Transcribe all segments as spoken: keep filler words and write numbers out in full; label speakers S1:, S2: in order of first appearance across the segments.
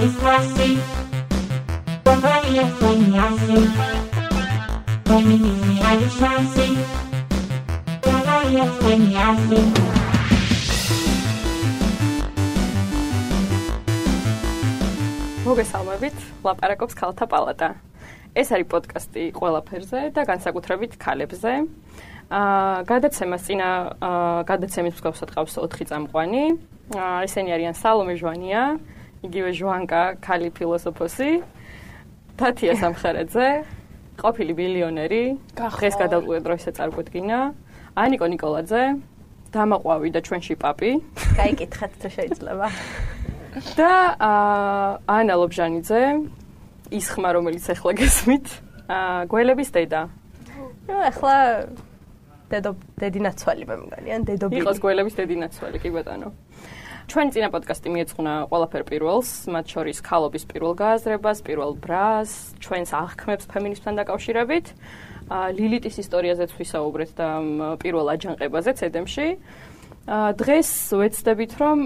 S1: classy. Somebody explain me así. Feminism is classy. Somebody explain me así.
S2: მოგესალმებით, ლაპარაკობს ქალთა პალატა. ეს არის პოდკასტი ყველაფერზე და განსაკუთრებით ქალებზე. აა გადაცემას წინა გადაცემის მსგავსად ყავს ოთხი წამყვანი. აა ესენი არიან სალომე ჟვანია, იგივე ჟვანკა, ქალი ფილოსოფოსი, თათია სამხერაძე, ყოფილი მილიონერი, დღეს გადავყვეთ ისე წარგვედგინა, ანიკო ნიკოლაძე, დამაყვავი და ჩვენში პაპი.
S3: გაიკითხეთ თუ შეიძლება.
S2: და ანა ლობჟანიძე, ის ხმა რომელიც ახლა გესმით, გველების დედა.
S3: ნუ ახლა დედო დედინაცვალი მე მგონი, ან დედობილი.
S2: იყოს გველების დედინაცვალი, კი ბატონო. ჩვენი წინა პოდკასტი მიეძღვნა ყველაფერ პირველს, მათ შორის ქალობის პირველ გააზრებას, პირველ ბრას, ჩვენს აღქმებს ფემინიზმთან დაკავშირებით, ლილიტის ისტორიაზეც ვისაუბრეთ და პირველ აჯანყებაზე ცედემში. დღეს ვეცდებით, რომ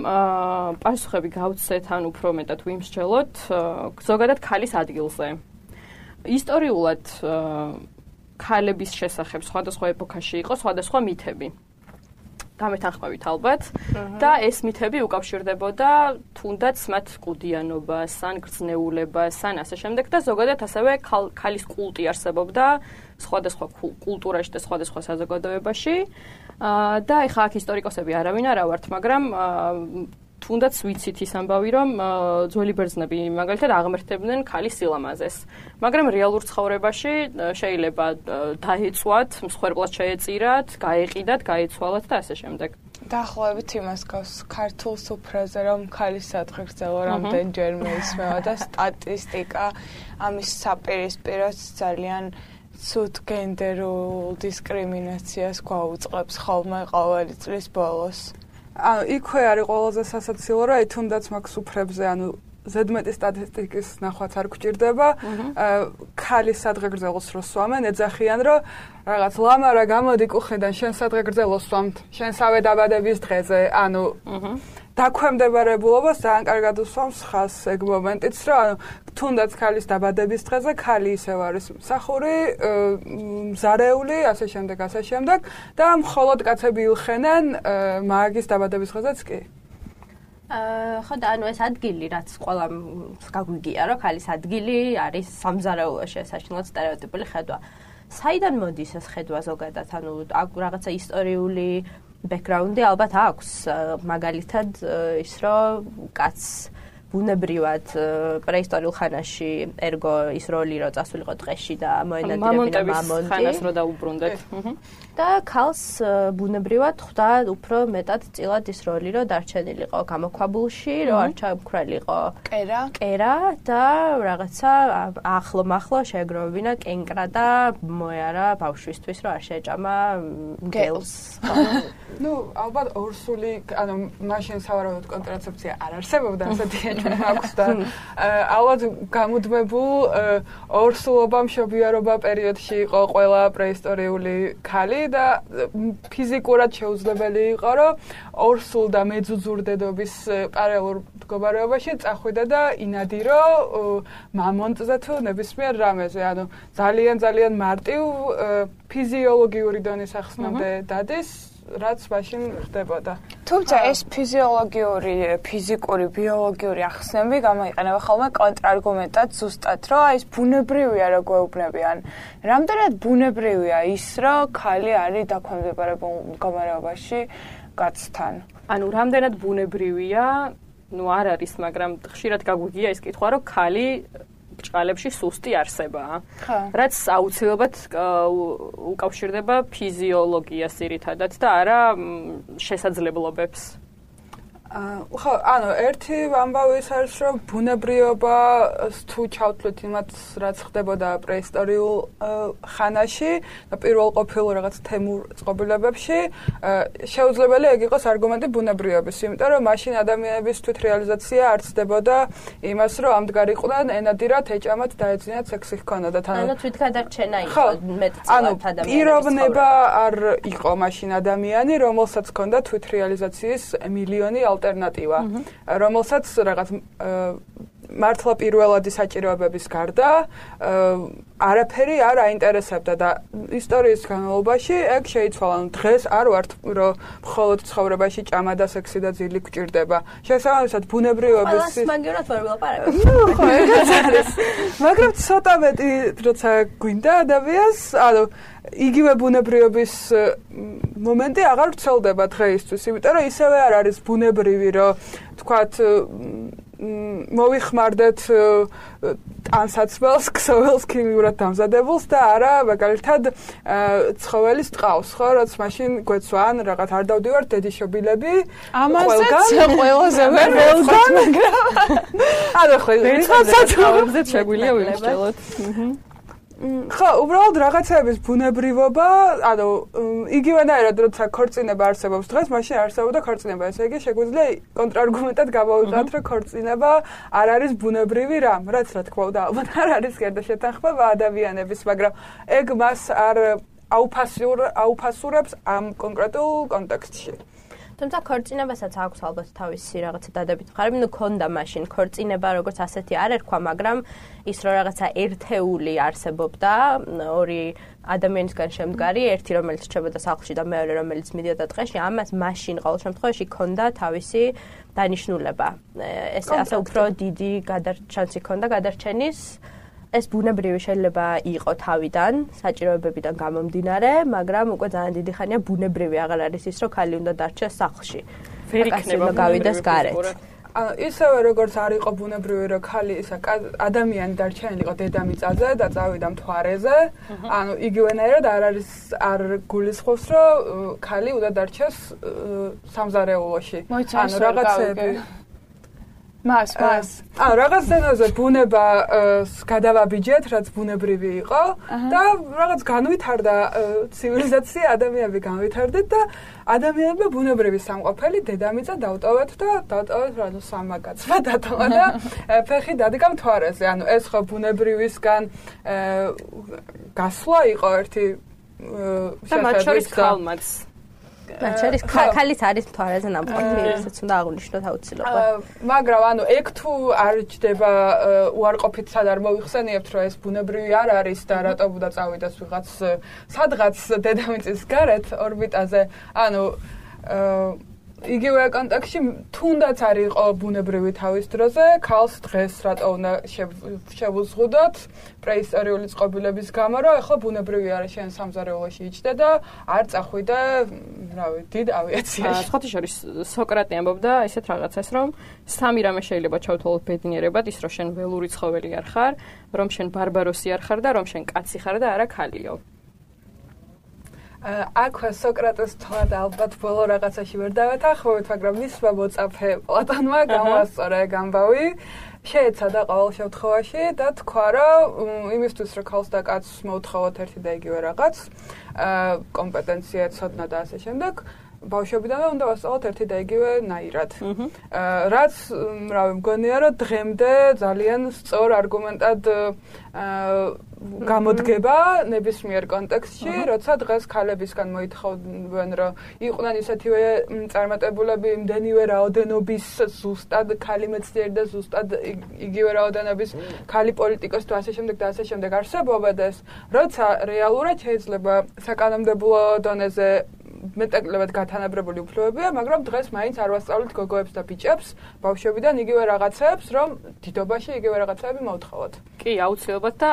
S2: პასუხები გავცეთ, ან უფრო მეტად ვიმსჯელოთ ზოგადად ქალის ადგილზე. ისტორიულად ქალების შესახებ სხვადასხვა ეპოქაში იყო სხვადასხვა მითები. გამეთანხმებით ალბათ და ეს მითები უკავშირდებოდა თუნდაც მათ კუდიანობას, ან გრძნეულებას, ან ასე შემდეგ და ზოგადად ასევე ქალის კულტი არსებობდა სხვადასხვა კულტურაში და სხვადასხვა საზოგადოებაში. და ეხლა აქ ისტორიკოსები არავინ არა ვართ, მაგრამ თუნდაც ვიცით ის ამბავი, რომ ძველი ბერძნები მაგალითად აღმერთებდნენ ქალის სილამაზეს. მაგრამ რეალურ ცხოვრებაში შეიძლება დაეწვათ, მსხვერპლად შეეწირათ, გაეყიდათ, გაეცვალათ და ასე შემდეგ.
S4: დაახლოებით იმას გავს ქართულ სუფრაზე, რომ ქალის სადღეგრძელო რამდენჯერმე ისმევა და სტატისტიკა ამის საპირისპიროს ძალიან ცუდ გენდერულ დისკრიმინაციას გვაუწყებს ხოლმე ყოველი წლის ბოლოს.
S5: ანუ იქვე არის ყველაზე სასაცილო, რომ აი თუნდაც მაგ სუფრებზე, ანუ ზედმეტი სტატისტიკის ნახვაც არ გვჭირდება, ქალის სადღეგრძელოს რო სვამენ, ეძახიან, რომ რაღაც ლამარა გამოდი კუხიდან, შენ სადღეგრძელოს სვამთ, შენსავე დაბადების დღეზე, ანუ დაქვემდებარებულობას ძალიან კარგად უსვამს ხას ეგ მომენტიც, რომ ანუ თუნდაც ქალის დაბადების დღეზე ქალი ისევ არის მსახური, მზარეული, ასე შემდეგ, ასე შემდეგ და მხოლოდ კაცები ილხენენ მაგის დაბადების დღეზეც კი.
S3: აა ხო და ანუ ეს ადგილი, რაც ყველა გაგვიგია, რომ ქალის ადგილი არის სამზარეულოში, საშინლად სტერეოტიპული ხედვა. საიდან მოდის ეს ხედვა ზოგადად? ანუ რაღაცა ისტორიული ბექგრაუნდი ალბათ აქვს, მაგალითად ის რომ კაცს ბუნებრივად პრეისტორიულ ხანაში ერგო ის როლი რო წასულიყო ტყეში და მოენადირებინა მამონტი
S2: ხანას რო დაუბრუნდეთ.
S3: და ქალს ბუნებრივად ხვდა უფრო მეტად წილად ის როლი რო დარჩენილიყო გამოქვაბულში, რო არ ჩამქრალიყო
S4: კერა
S3: კერა და რაღაცა ახლო მახლო შეეგროვებინა კენკრა და მოეარა ბავშვისთვის რო არ შეეჭამა მგელს.
S5: ნუ ალბათ ორსული, ანუ მაშინ სავარაუდოდ კონტრაცეფცია არ არსებობდა, ასეთი აქვს და ალბათ გამუდმებულ ორსულობა მშობიარობა პერიოდში იყო ყველა პრეისტორიული ქალი და ფიზიკურად შეუძლებელი იყო, რომ ორსულ და მეძუძურდედობის პარალელურ მდგომარეობაში წახვიდა და ინადირო მამონტზე თუ ნებისმიერ რამეზე, ანუ ძალიან ძალიან მარტივ ფიზიოლოგიური დონის ახსნამდე დადის, რაც მაშინ ხდებოდა.
S4: თუმცა ეს ფიზიოლოგიური, ფიზიკური, ბიოლოგიური ახსნები გამოიყენება ხოლმე კონტრარგუმენტად ზუსტად, რომ აი ეს ბუნებრივია რო გვეუბნებიან. რამდენად ბუნებრივია ის, რომ ქალი არის დაქვემდებარებულ მდგომარეობაში კაცთან?
S2: ანუ რამდენად ბუნებრივია, ნუ არ არის, მაგრამ ხშირად გაგვიგია ეს კითხვა, რომ ქალი ბრჭყალებში სუსტი არსებაა. რაც აუცილებლად უკავშირდება ფიზიოლოგიას ძირითადად და არა შესაძლებლობებს.
S5: ხო, ანუ ერთი ამბავი ის არის, რომ ბუნებრიობას თუ ჩავთვლით იმათ, რაც ხდებოდა პრეისტორიულ ხანაში და პირველ ყოფილ რაღაც თემურ წყობილებებში, შეუძლებელი ეგ იყოს არგუმენტი ბუნებრიობის, იმიტომ რომ მაშინ ადამიანების თვითრეალიზაცია არ ცდებოდა იმას, რომ ამდღარიყვნენ, ენადირათ, ეჭამათ, დაეძინათ, სექსი ჰქონოდათ.
S3: ანუ თვითგადარჩენა იყო მეტწილად ადამიანების.
S5: პიროვნება არ იყო მაშინ ადამიანი, რომელსაც ჰქონდა თვითრეალიზაციის მილიონი ალტერნატივა, რომელსაც რაღაც მართლა პირველადი საჭიროებების გარდა არაფერი არ აინტერესებდა და ისტორიის განმავლობაში ეგ შეიცვალა. დღეს არ ვართ რომ მხოლოდ ცხოვრებაში ჭამა და სექსი და ძილი გვჭირდება. შესაბამისად ბუნებრიობის
S3: ყველას მაგერად ვერ ვილაპარაკებ.
S5: ხო, ეგეც არის. მაგრამ ცოტა მეტი როცა გვინდა ადამიანს, ანუ იგივე ბუნებრიობის მომენტი აღარ ვრცელდება დღეისთვის, იმიტომ რომ ისევე არ არის ბუნებრივი, რომ თქვათ მოვიხმარდეთ ტანსაცმელს, ქსოვილს ქიმიურად დამზადებულს და არა მაგალითად ცხოველის ტყავს, ხო, რაც მაშინ გვეცვან რაღაც არ დავდივართ დედიშობილები.
S4: ამასაც ყველაზე ვერ ველგან, მაგრამ
S5: არა ხო,
S2: საჭიროებზე შეგვიძლია ვიმსჯელოთ.
S5: ხო, უბრალოდ რაღაცების ბუნებრივობა, ანუ იგივენაირად როცა ქორწინება არსებობს დღეს, მაშინ არსებობდა ქორწინება. ესე იგი, შეგვიძლია კონტრარგუმენტად გავავიღოთ, რომ ქორწინება არ არის ბუნებრივი რამ, რაც რა თქმა უნდა, ალბათ არ არის გარდაშეთანხმება ადამიანების, მაგრამ ეგ მას არ აუფასურ აუფასურებს ამ კონკრეტულ კონტექსტში.
S3: თუმცა ქორწინებასაც აქვს ალბათ თავისი რაღაცა დადებით მხარე, ნუ ქონდა მაშინ ქორწინება როგორც ასეთი არ ერქვა, მაგრამ ის რომ რაღაცა ერთეული არსებობდა, ორი ადამიანისგან შემდგარი, ერთი რომელიც რჩებოდა სახლში და მეორე რომელიც მიდიოდა ტყეში, ამას მაშინ ყოველ შემთხვევაში ქონდა თავისი დანიშნულება. ეს ასე უფრო დიდი გადარჩენს იქონდა გადარჩენის ეს ბუნებრივი შეიძლება იყო თავიდან, საჭიროებებიდან გამომდინარე, მაგრამ უკვე ძალიან დიდი ხანია ბუნებრივი აღარ არის ის, რომ ქალი უნდა დარჩეს სახლში.
S2: ვერ იქნება
S3: გავიდეს გარეთ.
S5: ანუ ისევე როგორც არ იყო ბუნებრივი, რომ ქალი ისა ადამიანი დარჩენილი იყო დედამიწაზე და წავიდა მთვარეზე, ანუ იგივენაირად არ არის არ გულისხმობს, რომ ქალი უნდა დარჩეს სამზარეულოში.
S4: ანუ რაღაცები მას მას
S5: აა რაღაც დონეზე ბუნება გადავაბიჯეთ, რაც ბუნებრივი იყო და რაღაც განვითარდა ცივილიზაცია, ადამიანები განვითარდეთ და ადამიანებმა ბუნებრივი სამყოფელი დედამიწა დავტოვეთ და დავტოვეთ რა თქმა უნდა სამაგაცმა დატოვა და ფეხი დადგა მთვარეზე. ანუ ეს ხო ბუნებრივისგან გასვლა იყო ერთი
S2: და მათ შორის ქალმაც
S3: მათ შორის ქალიც არის მთვარეზე ნამყოფი, ესეც უნდა აღვნიშნოთ აუცილებლად.
S5: მაგრამ ანუ ეგ თუ არ ჯდება უარყოფით სად არ მოიხსენიებთ, რომ ეს ბუნებრივი არ არის და რატომ უნდა წავიდეს ვიღაც სადღაც დედამიწის გარეთ ორბიტაზე, ანუ იგივე კონტექსტში თუნდაც არ იყო ბუნებრივი თავის დროზე, ქალს დღეს რატო უნდა შევუზღუდოთ პრეისტორიული წყობილების გამო, რომ ახლა ბუნებრივი არის შენ სამზარეულოში იჯდე და არ წახვიდე, რა ვიცი, დიდ ავიაციაში.
S2: სხვათა შორის სოკრატე ამბობდა ესეთ რაღაცას, რომ სამი რამე შეიძლება ჩავთვალოთ ბედნიერებად, ის რომ შენ ველური ცხოველი არ ხარ, რომ შენ ბარბაროსი არ ხარ და რომ შენ კაცი ხარ და არა ქალიო.
S5: აქვე სოკრატეს თვალად ალბათ ბოლო რაღაცაში ვერ დავეთანხმებით, მაგრამ მისმა მოწაფე პლატონმა გამოსწორა ეგ ამბავი, შეეცადა ყოველ შემთხვევაში და თქვა, რომ იმისთვის, რომ ქალს და კაცს მოუთხოვოთ ერთი და იგივე რაღაც, კომპეტენცია, ცოდნა და ასე შემდეგ, ბავშვობიდანვე უნდა ვასწავლოთ ერთი და იგივე ნაირად. რაც, რავი, მგონია, რომ დღემდე ძალიან სწორ არგუმენტად გამოდგება ნებისმიერ კონტექსტში, როცა დღეს ქალებისგან მოითხოვენ, რომ იყვნენ ისეთივე წარმატებულები იმდენივე რაოდენობის ზუსტად ქალი მეცნიერი და ზუსტად იგივე რაოდენობის ქალი პოლიტიკოსი და ასე შემდეგ და ასე შემდეგ არსებობდეს, როცა რეალურად შეიძლება საკანონმდებლო დონეზე მეტაკლებად გათანაბრებული უფლებებია, მაგრამ დღეს მაინც არ ვასწავლეთ გოგოებს და ბიჭებს ბავშვებიდან იგივე რაღაცებს, რომ დიდობაში იგივე რაღაცები მოუთხოვოთ.
S2: კი, აუცილებლად და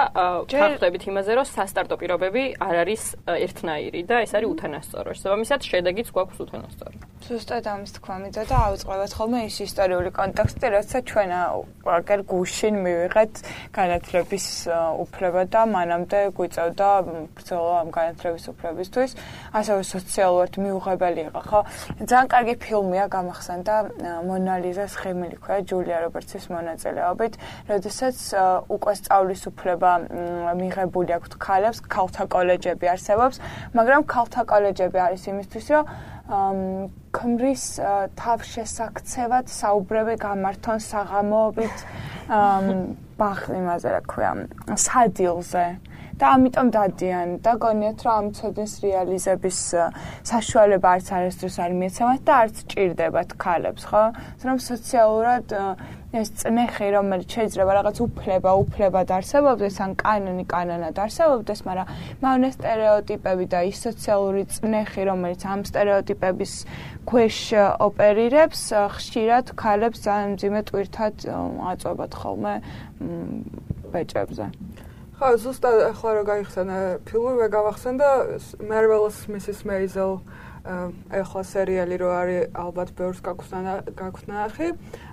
S2: ვხდებით იმაზე, რომ სასტარტო პირობები არ არის ერთნაირი და ეს არის უთანასწორო. შესაბამისად, შედეგიც გვაქვს უთანასწორო.
S4: ზუსტად ამის თქვა მიწოდა, ავიწყებთ ხოლმე ის ისტორიული კონტექსტი, როცა ჩვენ აგერ გუშინ მივიღეთ განათლების უფლება და მანამდე გვიწევდა ბრძოლა ამ განათლების უფლებისთვის, ასევე სოციალურად მიუღებელი იყო, ხო? ძალიან კარგი ფილმია გამახსენდა მონა ლიზას ხემილი ქვია ჯულია რობერტსის მონაწილეობით, როდესაც უკვე სწავლის უფლება მიღებული აქვს ქალებს, ქალთა კოლეჯები არსებობს, მაგრამ ქალთა კოლეჯები არის იმისთვის, რომ ქმრის თავშესაქცევად საუბრები გამართონ საღამოობით ბახ იმაზე რა ქვია სადილზე და ამიტომ დადიან და გონიათ რომ ამ ცოდნის რეალიზების საშუალება არც არასდროს არ მიეცემათ და არც ჭირდებათ ქალებს, ხო? რომ სოციალურად ეს წნეხი, რომელიც შეიძლება რაღაც უფლება, უფლება დარსებობდეს, ან კანონი, კანონად არსებობდეს, მაგრამ მავნე სტერეოტიპები და ის სოციალური წნეხი, რომელიც ამ სტერეოტიპების ქვეშ ოპერირებს, ხშირად ქალებს ძალიან მძიმე ტვირთად აწვევათ ხოლმე ბეჭებზე.
S5: ხო, ზუსტად ახლა რა გაიხსენა ფილმი გავახსენდა Marvelous Missus Maisel ახლა სერიალი რო არის ალბათ ბევრს გაქვთ ნახი.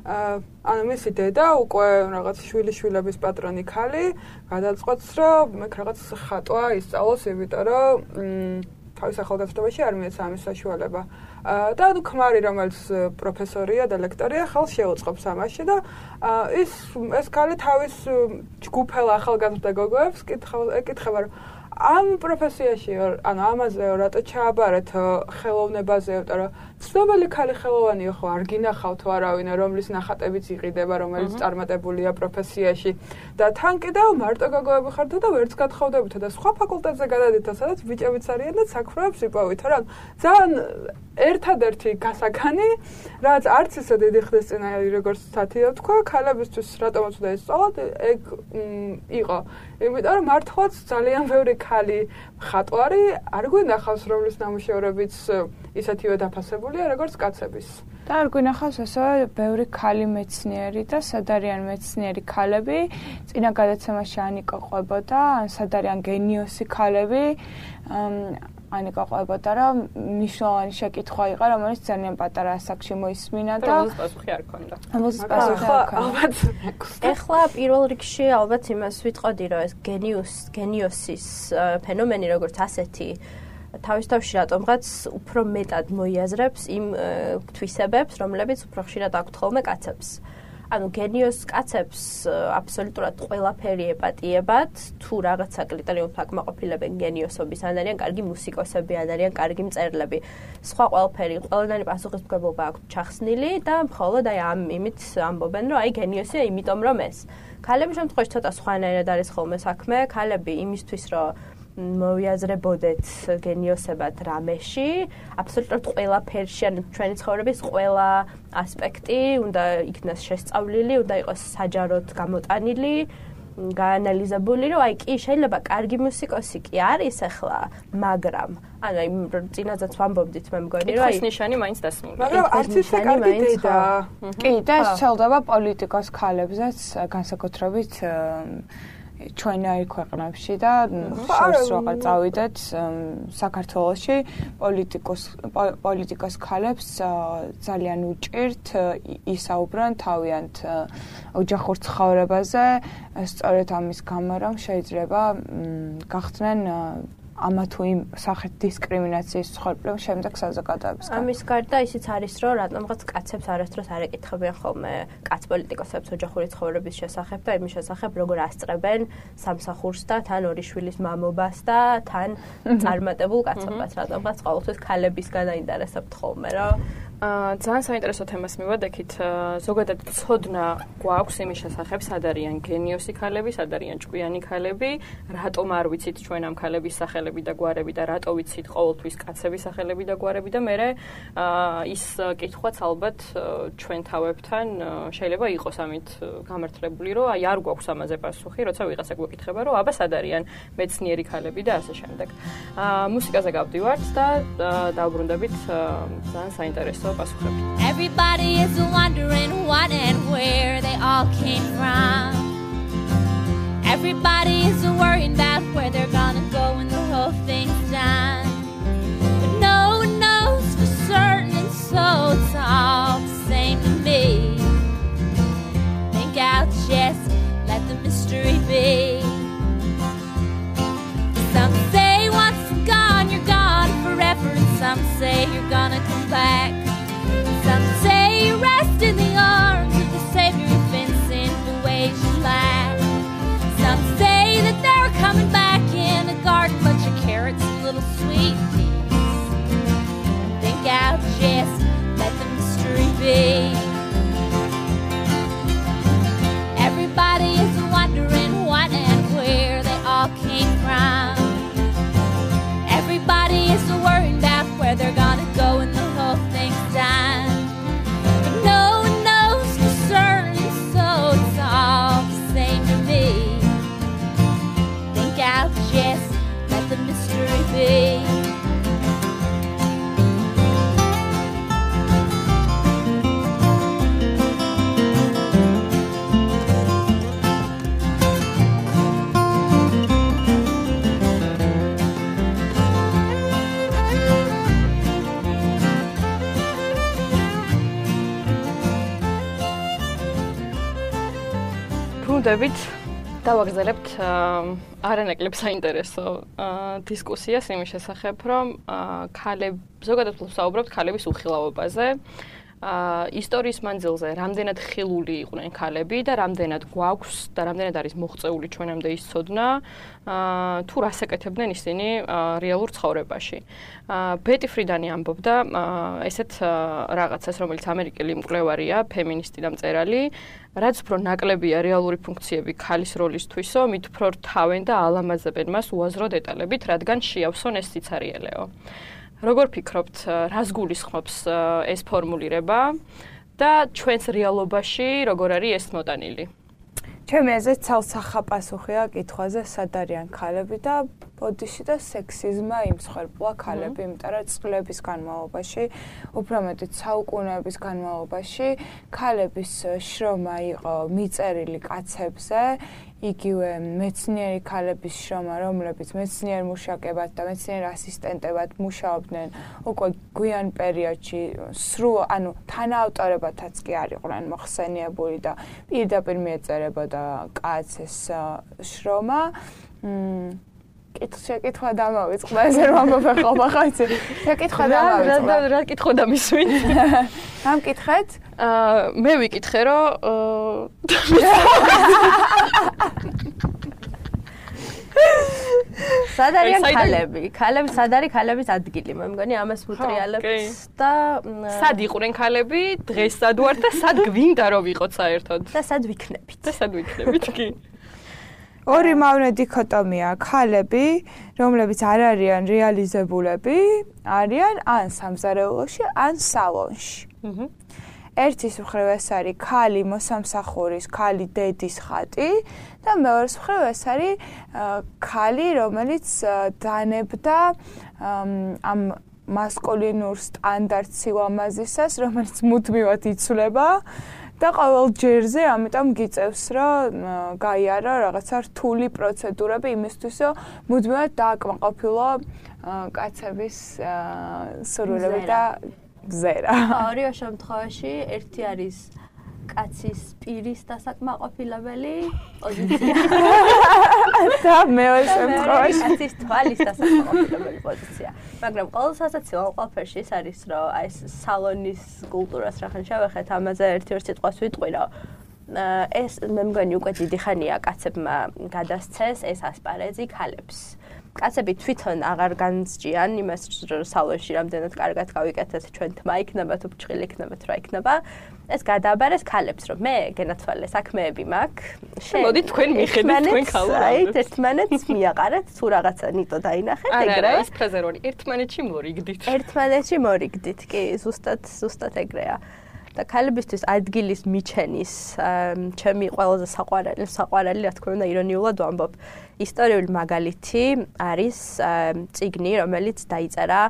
S5: ანუ მისი დედა უკვე რაღაც შვილიშვილების პატრონი ქალი გადაწყვეტს რომ მე რაღაც ხატვა ისწავლოს, იმიტომ რომ თავის ახალგაზრდობაში არ მიეცა ამის საშუალება. და ანუ ქმარი, რომელიც პროფესორია და ლექტორია, ხელს შეუწყობს ამაში და ის ეს ქალი თავის ჯგუფელ ახალგაზრდა გოგოებს ეკითხება, რომ ამ პროფესიაში, ანუ ამაზე რატო ჩააბარეთ ხელოვნებაზე, იმიტომ რომ ცნობილი ქალი ხელოვანია ხო არ გინახავთ არავინ, რომლის ნახატებიც იყიდება, რომელიც წარმატებულია პროფესიაში და თან კიდევ მარტო გოგოები ხართ და ვერც გათხოვდებით და სხვა ფაკულტეტზე გადადით, სადაც ბიჭებიც არიან და საქმროებს იპოვით, რა. ძალიან ერთადერთი გასაგანი, რაც არც ისე დიდი ხნის წინ როგორც სათიო თქვა, ქალებისთვის რატომაც უნდა ისწავლოთ, ეგ იყო. იმიტომ რომ მართლაც ძალიან ბევრი ქალი მხატვარი არ გვინახავს, რომლის ნამუშევრებიც ისეთივე დაფასებულია, როგორც კაცების.
S4: და არ გვინახავს ასევე ბევრი ქალი მეცნიერი და სადარიან მეცნიერი ქალები, წინა გადაცემაში ანიკა ყვებოდა, ან სადარიან გენიოსი ქალები, ანიკა ყვებოდა, რომ მნიშვნელოვანი შეკითხვა იყო, რომელიც ძალიან პატარა ასაკში მოისმინა და
S2: რომელზეც პასუხი არ ქონდა.
S4: რომელზეც პასუხი არ ქონდა.
S3: ეხლა პირველ რიგში ალბათ იმას ვიტყოდი, რომ ეს გენიუს, გენიოსის ფენომენი როგორც ასეთი თავის თავში რატომღაც უფრო მეტად მოიაზრებს იმ თვისებებს, რომლებიც უფრო ხშირად აქვთ ხოლმე კაცებს. ანუ გენიოს კაცებს აბსოლუტურად ყველაფერი ეპატიებათ, თუ რაღაცა კრიტერიუმს აკმაყოფილებენ გენიოსობის, ან არიან კარგი მუსიკოსები, ან არიან კარგი მწერლები. სხვა ყველაფერი, ყველანაირი პასუხისმგებლობა აქვთ ჩახსნილი და მხოლოდ აი ამ იმით ამბობენ, რომ აი გენიოსია იმიტომ რომ ეს. ქალების შემთხვევაში ცოტა სხვანაირად არის ხოლმე საქმე, ქალები იმისთვის რომ მოვიაზრებოდეთ გენიოსებად რამეში, აბსოლუტურად ყველაფერში, ან ჩვენი ცხოვრების ყველა ასპექტი უნდა იქნას შესწავლილი, უნდა იყოს საჯაროდ გამოტანილი, გაანალიზებული, რომ აი კი შეიძლება კარგი მუსიკოსი კი არის ახლა, მაგრამ ანუ აი წინაზეც ვამბობდით მე მგონი, რომ
S2: აი ნიშანი მაინც დასმული.
S5: მაგრამ არც ისე კარგი დედა.
S4: კი, და ეს ცელდება პოლიტიკოს ქალებზეც, განსაკუთრებით ჩვენ აი ქვეყნებში და შორს როგორ წავიდეთ საქართველოში პოლიტიკოს პოლიტიკოს ქალებს ძალიან უჭირთ ისაუბრონ თავიანთ ოჯახურ ცხოვრებაზე, სწორედ ამის გამო რომ შეიძლება გახდნენ ამა თუ იმ სახით დისკრიმინაციის მსხვერპლი შემდეგ საზოგადოებისგან.
S3: ამის გარდა ისიც არის, რომ რატომღაც კაცებს არასდროს არ ეკითხებიან ხოლმე კაც პოლიტიკოსებს ოჯახური ცხოვრების შესახებ და იმის შესახებ, როგორ ასწრებენ სამსახურს და თან ორი შვილის მამობას და თან წარმატებულ კაცობას. რატომღაც ყოველთვის ქალებისგან აინტერესებთ ხოლმე, რა.
S2: აა ძალიან საინტერესო თემას მივადექით. ზოგადად ცოდნა გვაქვს იმის შესახებ, სად არიან გენიოსი ქალები, სად არიან ჭკვიანი ქალები, რატომ არ ვიცით ჩვენ ამ ქალების სახელები და გვარები და რატო ვიცით ყოველთვის კაცების სახელები და გვარები და მე აა ის კითხვაც ალბათ ჩვენ თავებთან შეიძლება იყოს ამით გამართლებული, რომ აი არ გვაქვს ამაზე პასუხი, როცა ვიღაცა გვეკითხება, რომ აბა სად არიან მეცნიერი ქალები და ასე შემდეგ. აა მუსიკაზე გავდივართ და დავბრუნდებით ძალიან საინტერესო
S1: Everybody is wondering what and where they all came from. Everybody is worried about where they're gonna go when the whole thing's done. But no one knows for certain, and so it's all the same to me. Think I'll just let the mystery be. Some say once you're gone, you're gone forever, and some say you're gonna come back. Some say you rest in the arms of the Savior who's been sent the ways you lack. Some say that they're coming back in a garden, bunch of carrots and little sweet peas. Think I'll just let the mystery be. Everybody is wondering what and where they all came from.
S2: დაახლოებით დავაგრძელებთ არანაკლებ საინტერესო დისკუსიას იმის შესახებ, რომ ქალები ზოგადად ვსაუბრობთ ქალების უხილავობაზე. ისტორიის მანძილზე რამდენად ხილული იყვნენ ქალები და რამდენად გვაქვს და რამდენად არის მოღწეული ჩვენამდე ის ცოდნა თუ რას ეკეთებდნენ ისინი რეალურ ცხოვრებაში. ბეტი ფრიდანი ამბობდა ესეთ რაღაცას, რომელიც ამერიკელი მკვლევარია, ფემინისტი და მწერალი, რაც უფრო ნაკლებია რეალური ფუნქციები ქალის როლისთვისო, მით უფრო რთავენ და ალამაზებენ მას უაზრო დეტალებით, რადგან შეავსონ ეს სიცარიელეო. როგორ ფიქრობთ, რას გულისხმობს ეს ფორმულირება და ჩვენს რეალობაში როგორ არის ეს მოტანილი?
S4: ჩემი აზრით ცალსახა პასუხია კითხვაზე, სად არიან ქალები და ბოდიში და სექსიზმა იმსხვერპლა ქალები, იმიტომ რომ წლების განმავლობაში, უფრო მეტად საუკუნეების განმავლობაში ქალების შრომა იყო მიწერილი კაცებზე, იგივე მეცნიერი ქალების შრომა, რომლებიც მეცნიერ მუშაკებად და მეცნიერ ასისტენტებად მუშაობდნენ უკვე გვიან პერიოდში, სრულ, ანუ თანაავტორებათაც კი არ იყვნენ მოხსენიებული და პირდაპირ მიეწერებოდა კაცის შრომა. შეკითხვა დამავიწყდა, ესე რომ ამბობ ხოლმე ხა იცი. შეკითხვა დამავიწყდა.
S2: რა რა კითხვა დამისვით?
S4: ამ კითხეთ?
S2: აა მე ვიკითხე, რომ
S3: სად არიან ქალები? ქალები სად არის ქალების ადგილი? მე მგონი ამას ვუტრიალებთ და
S2: სად იყვნენ ქალები, დღეს სად ვართ და სად გვინდა რომ ვიყოთ საერთოდ?
S3: და სად ვიქნებით?
S2: და სად ვიქნებით კი?
S4: ორი მავნე დიქოტომია, ქალები, რომლებიც არ არიან რეალიზებულები, არიან ან სამზარეულოში, ან სალონში. ერთის მხრივ ეს არის ქალი მოსამსახურის, ქალი დედის ხატი და მეორეს მხრივ ეს არის ქალი, რომელიც დანებდა ამ მასკულინურ სტანდარტ სილამაზისას, რომელიც მუდმივად იცვლება. და ყოველ ჯერზე ამიტომ გიწევს, რომ გაიარო რაღაცა რთული პროცედურები იმისთვის, რომ მუდმივად დააკმაყოფილო კაცების სურვილები და ზერა.
S3: ორივე შემთხვევაში ერთი არის კაცის პირის დასაკმაყოფილებელი პოზიცია
S4: და მეორე შემთხვევაში
S3: კაცის თვალის დასაკმაყოფილებელი პოზიცია. მაგრამ ყოველ სასაცილო ყველაფერში ის არის, რომ აი ეს სალონის კულტურას რახან შევეხეთ, ამაზე ერთი-ორი სიტყვას ვიტყვი, რომ ეს მე მგონი უკვე დიდი ხანია კაცებმა გადასცეს ეს ასპარეზი ქალებს. კაცები თვითონ აღარ განსჯიან იმას, რომ სალონში რამდენად კარგად გავიკეთეთ, ჩვენ თმა იქნება თუ ბრჭყილი იქნებათ, რა იქნება. ეს გადააბარეს ქალებს, რომ მე გენათვალე საქმეები მაქვს.
S2: მოდი თქვენ მიხედეთ თქვენ ქალებს.
S3: აი, ერთმანეთს მიაყარეთ, თუ რაღაცა ნიტო დაინახეთ, ეგრე.
S2: არა, ეს ფრაზა როი, ერთმანეთში მორიგდით.
S3: ერთმანეთში მორიგდით, კი, ზუსტად, ზუსტად ეგრეა. და ქალებისთვის ადგილის მიჩენის ჩემი ყველაზე საყვარელი, საყვარელი, რა თქმა უნდა, ირონიულად ვამბობ, ისტორიული მაგალითი არის წიგნი, რომელიც დაიწერა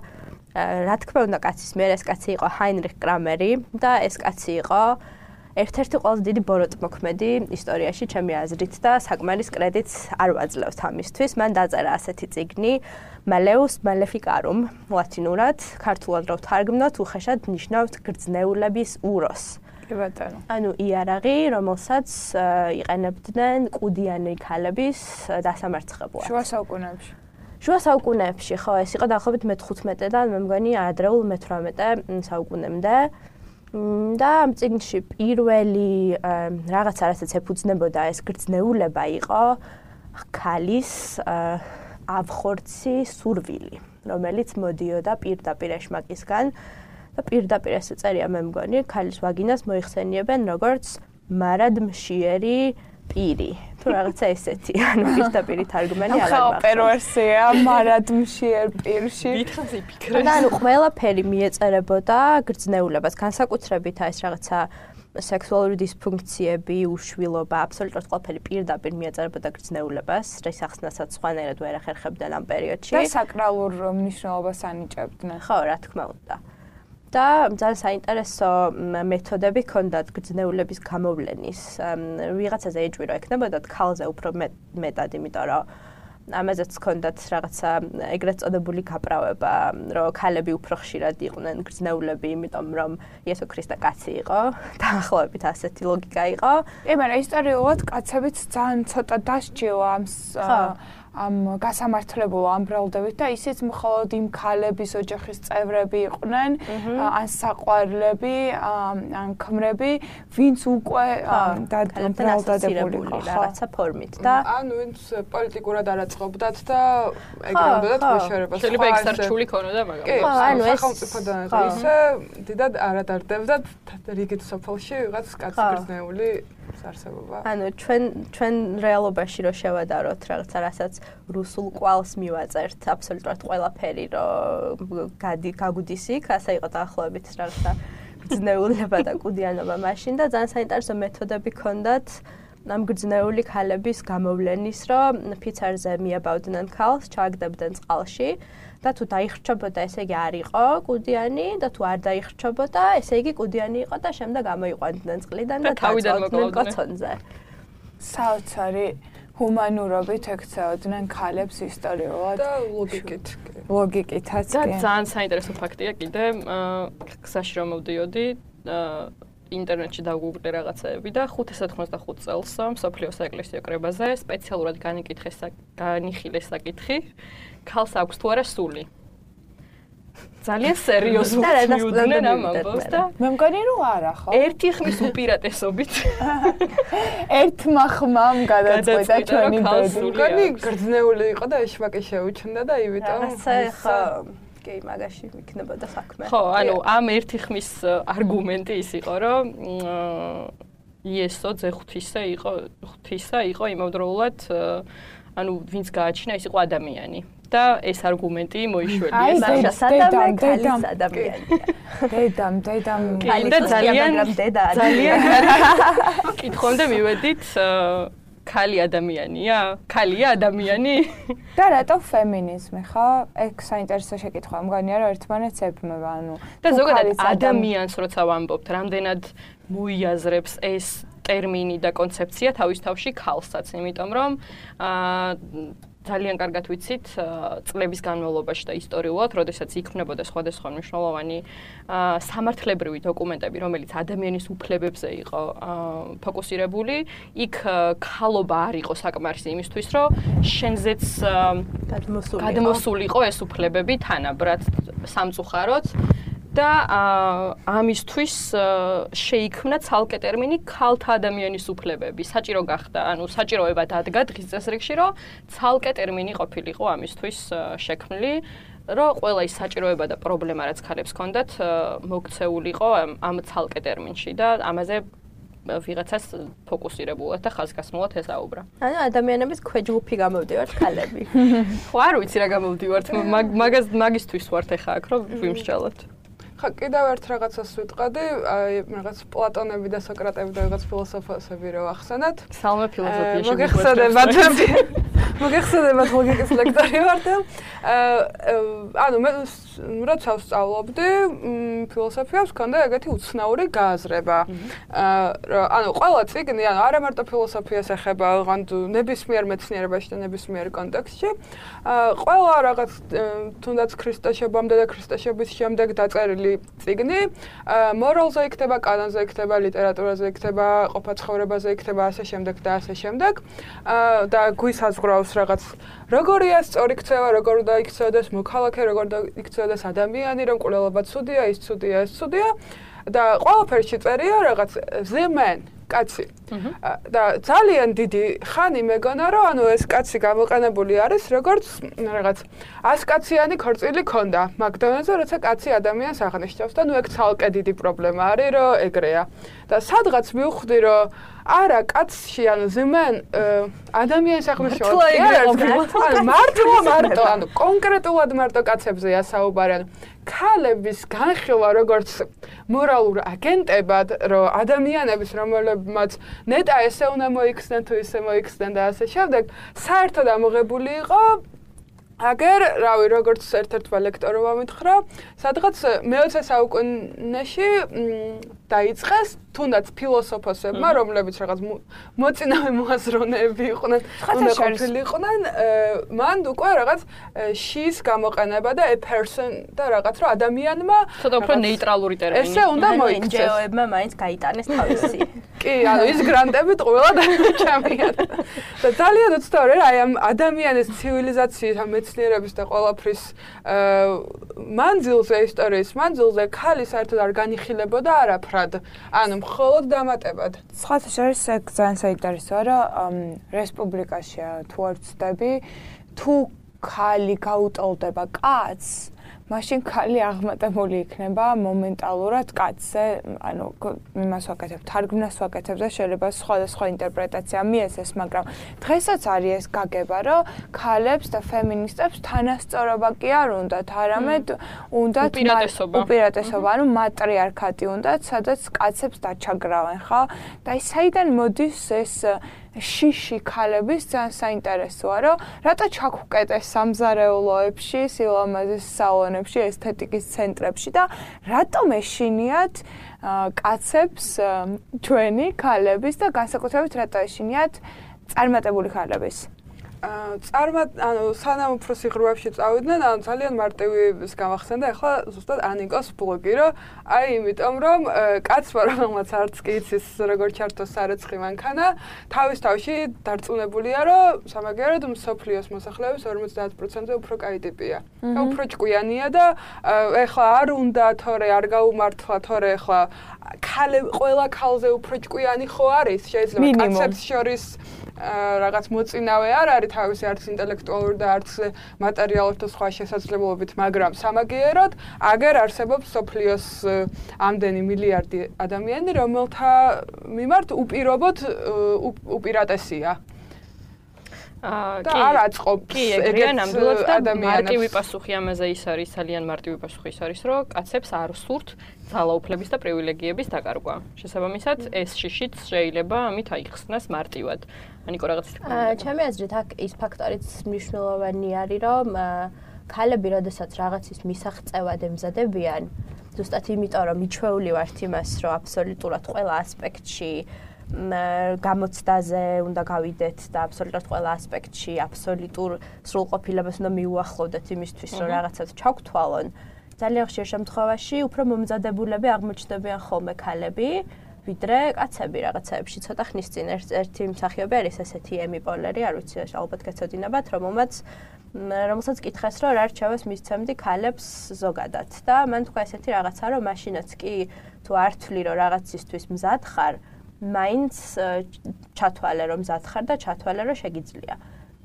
S3: რა თქმა უნდა კაცის მიერ, ეს კაცი იყო ჰაინრიხ კრამერი და ეს კაცი იყო ერთ-ერთი ყველაზე დიდი ბოროტმოქმედი ისტორიაში ჩემი აზრით და საკმარის კრედიტს არ ვაძლევთ ამისთვის. მან დაწერა ასეთი წიგნი Malleus Maleficarum ლათინურად, ქართულად რო ვთარგმნოთ, უხეშად ნიშნავს გრძნეულების უროს.
S4: კი ბატონო.
S3: ანუ იარაღი, რომელსაც იყენებდნენ კუდიანი ქალების დასამარცხებლად.
S4: შუა საუკუნეებში.
S3: შუა საუკუნეებში, ხო, ეს იყო დაახლოებით მე-თხუთმეტედან, მე მგონი ადრეულ მე-თვრამეტე საუკუნემდე. და ამ წიგნში პირველი რაღაცა, რასაც ეფუძნებოდა ეს გრძნეულება იყო ქალის ავხორცი სურვილი, რომელიც მოდიოდა პირდაპირ ეშმაკისგან და პირდაპირ ეს წერია მე მგონი, ქალის ვაგინას მოიხსენიებენ როგორც მარადმშიერი პირი. თუ რაღაცა ესეთი, ანუ პირდაპირ თარგმანი არ არის.
S4: ახლა პერვერსია მარადმშიერ პირში.
S2: დიდხანს იფიქრე.
S3: და ანუ ყველაფერი მიეწერებოდა გრძნეულებას, განსაკუთრებით ეს რაღაცა სექსუალური დისფუნქციები, უშვილობა, აბსოლუტურად ყველაფერი პირდაპირ მიეწერებოდა გრძნეულებას, რის ახსნასაც სხვანაირად ვერ ახერხებდნენ ამ პერიოდში.
S4: და საკრალურ მნიშვნელობას ანიჭებდნენ.
S3: ხო, რა თქმა უნდა. და ძალიან საინტერესო მეთოდები ჰქონდათ გრძნეულების გამოვლენის. ვიღაცაზე ეჭვი რო ექნებოდათ ქალზე უფრო მეტად, იმიტომ რომ ამაზეც ჰქონდათ რაღაცა ეგრეთ წოდებული გაправება, რომ ქალები უფრო ხშირად იყვნენ გრძნეულები, იმიტომ რომ იესო ქრისტე კაცი იყო, დაახლოებით ასეთი ლოგიკა იყო.
S4: კი, მაგრამ ისტორიულად კაცებიც ძალიან ცოტა დასჯილა ამ ამ გასამართლებულ ამბრალდებით და ისიც მხოლოდ იმ ქალების ოჯახის წევრები იყვნენ, ან საყვარლები, ან ქმრები, ვინც უკვე დაბრალდადებული იყო
S3: რაღაცა ფორმით და
S5: ან ვინც პოლიტიკურად არაწყობდათ და ეგრამდე მოშორებას.
S2: შეიძლება ექსარჩული ქონოდა, მაგრამ
S3: ხო, ანუ ეს
S5: სახელმწიფოდან ისე დიდად არადარდებდა რიგით სოფელში ვიღაც კაცი გრძნეული არსებობა.
S3: ანუ ჩვენ ჩვენ რეალობაში რო შევადაროთ რაღაცა რასაც რუსულ კვალს მივაწერთ აბსოლუტურად ყველაფერი რო გადი გაგუდის იქ, ასე იყო დაახლოებით რაღაცა გრძნეულება და კუდიანობა მაშინ და ძალიან საინტერესო მეთოდები ჰქონდათ ამ გრძნეული ქალების გამოვლენის, რომ ფიცარზე მიაბავდნენ ქალს, ჩააგდებდნენ წყალში და თუ დაიხრჩობოდა, ესე იგი არ იყო კუდიანი და თუ არ დაიხრჩობოდა, ესე იგი კუდიანი იყო და შემდეგ ამოიყვანდნენ წყლიდან და
S2: თავიდან
S3: კოცონზე.
S4: საოცარი ჰუმანურობით ექცეოდნენ ქალებს ისტორიულად
S5: და ლოგიკით.
S4: ლოგიკითაც
S2: და ძალიან საინტერესო ფაქტია კიდე, გზაში რომ მოვდიოდი, ინტერნეტში დავგუგლე რაღაცეები და ხუთი ათას ოცდახუთი წელს მსოფლიოს საეკლესიო კრებაზე სპეციალურად განიკითხეს განიხილეს საკითხი, ქალს აქვს თუ არა სული. ძალიან სერიოზულად მიუძღვნენ ამ ამბავს და
S4: მე მგონი რომ არა ხო?
S2: ერთი ხმის უპირატესობით
S4: ერთმა ხმამ გადაწყვეტა ჩვენი ბედი.
S5: მგონი გრძნეული იყო და ეშმაკი შეუჩნდა და იმიტომ
S3: ხო კი მაგაში იქნებოდა საქმე.
S2: ხო, ანუ ამ ერთი ხმის არგუმენტი ის იყო, რომ იესო ძე ღვთისე იყო, ღვთისა იყო იმავდროულად, ანუ ვინც გააჩინა, ის იყო ადამიანი. და ეს არგუმენტი მოიშველიეს.
S3: მაშა სადამ ქალის ადამიანია.
S4: დედამ, დედამ
S2: და ძალიან ძალიან კითხვამდე მივედით ქალი ადამიანია? ქალია ადამიანი?
S4: და რატო ფემინიზმი, ხო? ეგ საინტერესო შეკითხვა, მგონია რომ ერთმანეთს ებმება, ანუ
S2: და ზოგადად ადამიანს როცა ვამბობთ, რამდენად მოიაზრებს ეს ტერმინი და კონცეფცია თავის თავში ქალსაც, იმიტომ რომ აა ძალიან კარგად ვიცით წლების განმავლობაში და ისტორიულად, როდესაც იქმნებოდა სხვადასხვა მნიშვნელოვანი სამართლებრივი დოკუმენტები, რომელიც ადამიანის უფლებებზე იყო ფოკუსირებული, იქ ქალობა არ იყო საკმარისი იმისთვის, რომ შენზეც გადმოსულიყო ეს უფლებები თანაბრად სამწუხაროდ და ამისთვის შეიქმნა ცალკე ტერმინი ქალთა ადამიანის უფლებები. საჭირო გახდა, ანუ საჭიროება დადგა დღის წესრიგში, რომ ცალკე ტერმინი ყოფილიყო ამისთვის შექმნილი, რომ ყველა ის საჭიროება და პრობლემა, რაც ქალებს ჰქონდათ, მოქცეულიყო ამ ცალკე ტერმინში და ამაზე ვიღაცას ფოკუსირებულად და ხაზგასმულად ესაუბრა.
S3: ანუ ადამიანების ქვეჯგუფი გამოვდივართ ქალები.
S2: ხო, არ ვიცი რა გამოვდივართ, მაგას მაგისთვის ვართ ახლა აქ, რომ ვიმსჯელოთ.
S5: ხა კიდევ ერთ რაღაცას ვიტყოდი, აი რაღაც პლატონები და სოკრატები და რაღაც ფილოსოფოსები რო ახსენათ.
S2: სალმე ფილოსოფიაში
S5: მოგეხსენებათ. მოგეხსენებათ ლოგიკის ლექტორი ვარ და ანუ მე როცა ვსწავლობდი ფილოსოფიას, მქონდა ეგეთი უცნაური გააზრება. ანუ ყველა წიგნი, ანუ არა მარტო ფილოსოფიას ეხება, ოღონდ ნებისმიერ მეცნიერებაში და ნებისმიერ კონტექსტში, ყველა რაღაც თუნდაც ქრისტეშობამდე და ქრისტეშობის შემდეგ დაწერილი წიგნი, მორალზე იქნება, კანონზე იქნება, ლიტერატურაზე იქნება, ყოფა-ცხოვრებაზე იქნება, ასე შემდეგ და ასე შემდეგ. და გვისაზღვრავს რაღაც როგორია სწორი ქცევა, როგორ უნდა იქცეოდეს მოქალაქე, როგორ უნდა იქცეოდეს ადამიანი, რომ კვლელობა ცუდია, ის ცუდია, ეს ცუდია და ყველაფერში წერია რაღაც the man, კაცი. და ძალიან დიდი ხანი მეგონა, რომ ანუ ეს კაცი გამოყენებული არის როგორც რაღაც ასკაციანი ქორწილი ქონდა მაკდონალდსზე, როცა კაცი ადამიანს აღნიშნავს და ნუ ეგ ცალკე დიდი პრობლემა არის, რომ ეგრეა. და სადღაც მივხვდი, რომ არა, კაცში ანუ ზემან ადამიანის აღნიშნავს. ანუ მარტო მარტო, ანუ კონკრეტულად მარტო კაცებზეა საუბარი. ანუ ქალების განხილვა როგორც მორალურ აგენტებად, რომ ადამიანების რომელებმაც ნეტა ესე უნდა მოიქცნენ თუ ისე მოიქცნენ და ასე შემდეგ, საერთოდ ამოღებული იყო აგერ, რავი, როგორც ერთ-ერთმა ლექტორმა მითხრა, სადღაც მეოცე საუკუნეში დაიწყეს თუნდაც ფილოსოფოსებმა, რომლებიც რაღაც მოწინავე მოაზროვნეები იყვნენ, უნდა ყოფილიყვნენ, მან უკვე რაღაც she's გამოყენება და a person და რაღაც რომ ადამიანმა
S2: ცოტა უფრო ნეიტრალური ტერმინი.
S5: ესე უნდა მოიქცეს.
S3: ენჯეოებმა მაინც გაიტანეს თავისი.
S5: კი, ანუ ის გრანტებით ყველა დაიჭამიან. და ძალიან უცნაური რა, აი ამ ადამიანის ცივილიზაციის, ამ მეცნიერების და ყველაფრის მანძილზე, ისტორიის მანძილზე ქალი საერთოდ არ განიხილებოდა არაფრად. ანუ მხოლოდ დამატებად.
S4: სხვათა შორის ეგ ძალიან საინტერესოა, რომ რესპუბლიკაში თუ არ ვწდები, თუ ქალი გაუტოლდება კაცს, მაშინ ქალი აღმატებული იქნება მომენტალურად კაცზე, ანუ იმას ვაკეთებ, თარგმნას ვაკეთებ და შეიძლება სხვადასხვა ინტერპრეტაცია მიეცეს, მაგრამ დღესაც არის ეს გაგება, რომ ქალებს და ფემინისტებს თანასწორობა კი არ უნდათ, არამედ უნდათ
S2: უპირატესობა,
S4: უპირატესობა, ანუ მატრიარქატი უნდათ, სადაც კაცებს დაჩაგრავენ, ხო? და ის საიდან მოდის ეს შიში ქალების ძალიან საინტერესოა, რომ რატო ჩაგვუკეტეს სამზარეულოებში, სილამაზის სალონებში, ესთეტიკის ცენტრებში და რატომ ეშინიათ კაცებს ჩვენი ქალების და განსაკუთრებით რატო ეშინიათ წარმატებული ქალების?
S5: წარმა ანუ სანამ უფრო სიღრმეებში წავიდნენ, ანუ ძალიან მარტივი ის გამახსენდა ახლა ზუსტად ანიკოს ბლოგი, რომ აი იმიტომ რომ კაცმა რომელმაც არც კი იცის როგორ ჩართოს სარეცხი მანქანა, თავის თავში დარწმუნებულია, რომ სამაგიეროდ მსოფლიოს მოსახლეობის ორმოცდაათ პროცენტზე უფრო კაი ტიპია. და უფრო ჭკვიანია და ახლა არ უნდა თორე არ გაუმართლა თორე ახლა ქალე ყველა ქალზე უფრო ჭკვიანი ხო არის? შეიძლება კაცებს შორის რაღაც მოწინავე არ არის თავისი არც ინტელექტუალური და არც მატერიალური და სხვა შესაძლებლობით, მაგრამ სამაგიეროდ აგერ არსებობს სოფლიოს ამდენი მილიარდი ადამიანი, რომელთა მიმართ უპირობოდ უპირატესია.
S2: აა
S5: კი, არ აწყობს
S2: ეგრე ნამდვილად და მარტივი პასუხი ამაზე ის არის, ძალიან მარტივი პასუხი ის არის, რომ კაცებს არ სურთ ძალაუფლების და პრივილეგიების დაკარგვა. შესაბამისად, ეს შიშიც შეიძლება ამით აიხსნას მარტივად. ანიკო რაღაც თქვა.
S3: ჩემი აზრით, აქ ის ფაქტორიც მნიშვნელოვანი არის, რომ ქალები, როდესაც რაღაცის მისაღწევად ემზადებიან, ზუსტად იმიტომ, რომ მიჩვეული ვართ იმას, რომ აბსოლუტურად ყველა ასპექტში გამოცდაზე უნდა გავიდეთ და აბსოლუტურად ყველა ასპექტში აბსოლუტურ სრულყოფილებას უნდა მიუახლოვდეთ იმისთვის, რომ რაღაცას ჩაგთვალონ. ძალიან ხშირ შემთხვევაში უფრო მომზადებულები აღმოჩნდებიან ხოლმე ქალები, ვიდრე კაცები რაღაცაებში. ცოტა ხნის წინ ერთი მსახიობი არის ესეთი ემი პოლერი, არ ვიცი, ალბათ გეცოდინებათ, რომელმაც რომელსაც კითხეს, რომ რა რჩევას მისცემდი ქალებს ზოგადად და მან თქვა ესეთი რაღაცა, რომ მაშინაც კი თუ არ თვლი, რომ რაღაცისთვის მზად ხარ, მაინც ჩათვალე რომ მზად ხარ და ჩათვალე რომ შეგიძლია.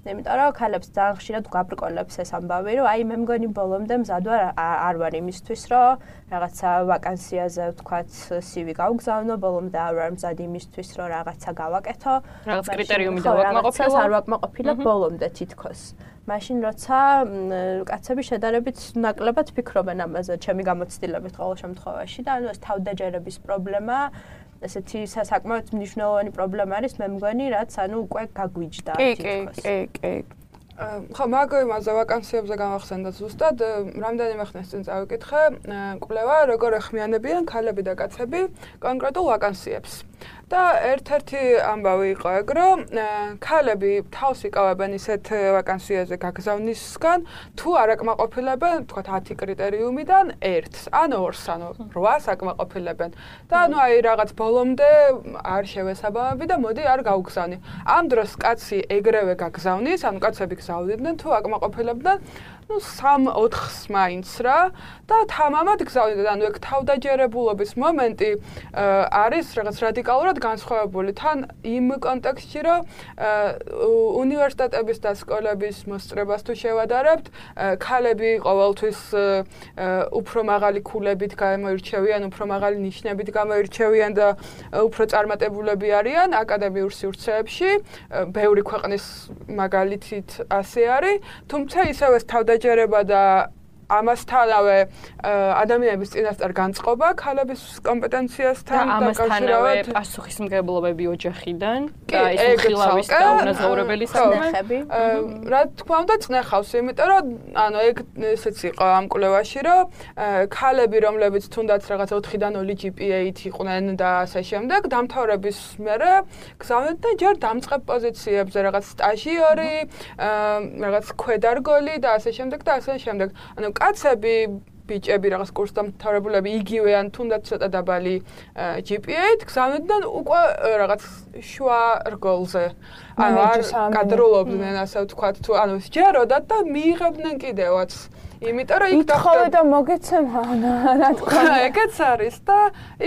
S3: იმიტომ რომ ქალებს ძალიან ხშირად გაბრკოლებს ეს ამბავი, რომ აი მე მგონი ბოლომდე მზად ვარ არ ვარ იმისთვის, რომ რაღაცა ვაკანსიაზე ვთქვათ სივი გავგზავნო, ბოლომდე არ ვარ მზად იმისთვის, რომ რაღაცა გავაკეთო.
S2: რაღაც კრიტერიუმი დავაკმაყოფილო.
S3: არ ვაკმაყოფილებ ბოლომდე თითქოს. მაშინ როცა კაცები შედარებით ნაკლებად ფიქრობენ ამაზე, ჩემი გამოცდილებით ყოველ შემთხვევაში და ანუ ეს თავდაჯერების პრობლემა ესეთი საკმაოდ მნიშვნელოვანი პრობლემა არის, მე მგონი, რაც ანუ უკვე გაგვიჯდა თითქოს.
S4: კი, კი, კი.
S5: ხო, მაგ იმაზე ვაკანსიებზე გამახსენდა ზუსტად, რამდენიმე ხნის წინ წავიკითხე, კვლევა როგორ ეხმიანებიან ქალები და კაცები კონკრეტულ ვაკანსიებს. და ერთ-ერთი ამბავი იყო ეგ, რომ ქალები თავს იკავებენ ისეთ ვაკანსიაზე გაგზავნისგან, თუ არ აკმაყოფილებენ, თქვათ ათი კრიტერიუმიდან ერთს, ან ორს, ანუ რვას აკმაყოფილებენ. და ანუ აი რაღაც ბოლომდე არ შევესაბამები და მოდი არ გავგზავნი. ამ დროს კაცი ეგრევე გაგზავნის, ანუ კაცები გზავნიდნენ, თუ აკმაყოფილებდნენ ну სამ ოთხს მაინც რა და თამამად გზავნიდნენ. ანუ ეგ თავდაჯერებულობის მომენტი არის რაღაც რადიკალურად განსხვავებული თან იმ კონტექსტში, რომ უნივერსიტეტების და სკოლების მოსწრებას თუ შევადარებთ, ქალები ყოველთვის უფრო მაღალი ქულებით გამოირჩევიან, უფრო მაღალი ნიშნებით გამოირჩევიან და უფრო წარმატებულები არიან აკადემიურ სივრცეებში. ბევრი ქვეყნის მაგალითით ასე არის, თუმცა ისევ ეს თავდაჯერება და ამასთანავე ადამიანების წინასწარ განწყობა ქალების კომპეტენციასთან
S2: დაკავშირებით პასუხისმგებლობები ოჯახიდან და ეს უხილავის და უნაზაურებელი საქმე.
S5: რა თქმა უნდა წნეხავს, იმიტომ რომ ანუ ეგ ესეც იყო ამ კვლევაში, რომ ქალები, რომლებიც თუნდაც რაღაც ოთხიდან ნული ჯი პი ეით იყვნენ და ასე შემდეგ, დამთავრების მერე გზავნიდნენ ჯერ დამწყებ პოზიციებზე, რაღაც სტაჟიორი, რაღაც ქვედარგოლი და ასე შემდეგ და ასე შემდეგ. ანუ კაცები, ბიჭები, რაღაც კურსდამთავრებულები იგივე ან თუნდაც ცოტა დაბალი ჯი პი ეით გზავნიდნენ უკვე რაღაც შუა რგოლზე. ანუ არ კადრულობდნენ, ასე ვთქვათ, თუ ანუ სჯეროდათ და მიიღებდნენ კიდევაც. იმიტომ რომ იქ
S4: დახვდება და მოგეცემა რა თქმა უნდა
S5: ეგეც არის და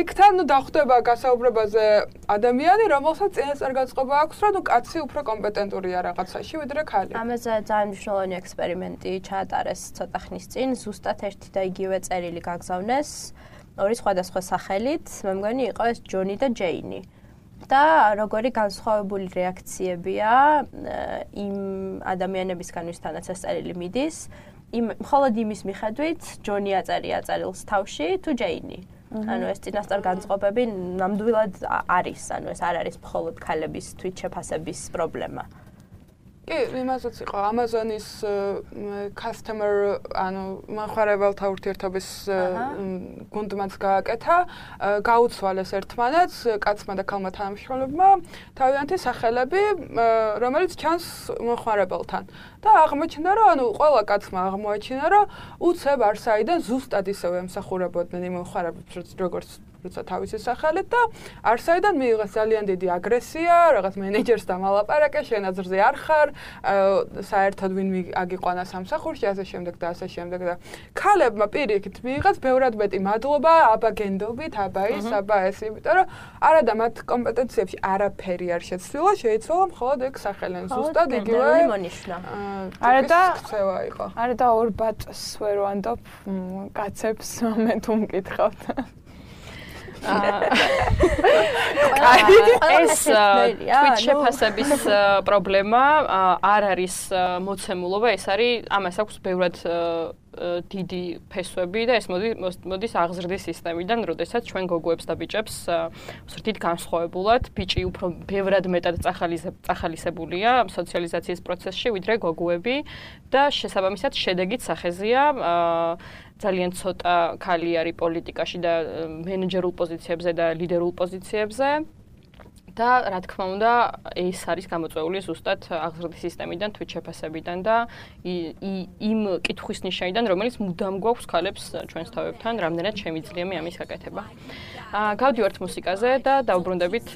S5: იქთან ნუ დახვდება გასაუბრებაზე ადამიანი, რომელსაც წინასწარ განწყობა აქვს, რომ ნუ კაცი უფრო კომპეტენტურია რაღაცაში, ვიდრე ქალი.
S3: ამაზე ძალიან მნიშვნელოვანი ექსპერიმენტი ჩაატარეს ცოტა ხნის წინ, ზუსტად ერთი და იგივე წერილი გაგზავნეს ორი სხვადასხვა სახელით, მე მგონი იყო ეს ჯონი და ჯეინი. და როგორი განსხვავებული რეაქციებია იმ ადამიანებისგან, ვისთანაც ეს წერილი მიდის. იმ მხოლოდ იმის მიხედვით ჯონი აწერია წერილს თავში თუ ჯეინი. ანუ ეს წინასწარ განწყობები ნამდვილად არის, ანუ ეს არ არის მხოლოდ ქალების თვითშეფასების პრობლემა.
S5: კი, იმასაც იყო Amazon-ის customer, ანუ მომხმარებელთა ურთიერთობის გუნდმაც გააკეთა, გაუცვალეს ერთმანეთს, კაცმა და ქალმა თანამშრომლებმა თავიანთი სახელები, რომელიც ჩანს მომხმარებელთან. და აღმოჩნდა, რომ ანუ ყველა კაცმა აღმოაჩინა, რომ უცებ არსაიდან ზუსტად ისევე ემსახურებოდნენ იმ მომხმარებლებს, როგორც როცა თავისი სახელით და არსაიდან მიიღეს ძალიან დიდი აგრესია, რაღაც მენეჯერს დამალაპარაკე, შენ აზრზე არ ხარ, საერთოდ ვინ აგიყვანა სამსახურში, ასე შემდეგ და ასე შემდეგ და ქალებმა პირიქით მიიღეს ბევრად მეტი მადლობა, აბა გენდობით, აბა ის, აბა ეს, იმიტომ რომ არა და მათ კომპეტენციებში არაფერი არ შეცვლილა, შეიცვალა მხოლოდ ეგ სახელენ ზუსტად იგივე
S3: მონიშნა.
S4: არა და
S5: ქცევა იყო.
S4: არა და ორ ბატს ვერ ვანდობ კაცებს მე თუ მკითხავთ.
S2: ეს თვითშეფასების პრობლემა არ არის მოცემულობა, ეს არის ამას აქვს ბევრად დიდი ფესვები და ეს მოდის აღზრდის სისტემიდან, როდესაც ჩვენ გოგოებს და ბიჭებს ვსრდით განსხვავებულად, ბიჭი უფრო ბევრად მეტად წახალისებულია სოციალიზაციის პროცესში, ვიდრე გოგოები და შესაბამისად შედეგით სახეზია ძალიან ცოტა ქალი არის პოლიტიკაში და მენეჯერულ პოზიციებზე და ლიდერულ პოზიციებზე და რა თქმა უნდა ეს არის გამოწვეული ზუსტად აღზრდის სისტემიდან, თვითშეფასებიდან და იმ კითხვის ნიშანიდან, რომელიც მუდამ გვაქვს ქალებს ჩვენს თავებთან, რამდენად შემიძლია ამის გაკეთება. გავდივართ მუსიკაზე და დავბრუნდებით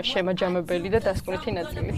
S2: შემაჯამებელი და დასკვნითი ნაწილი.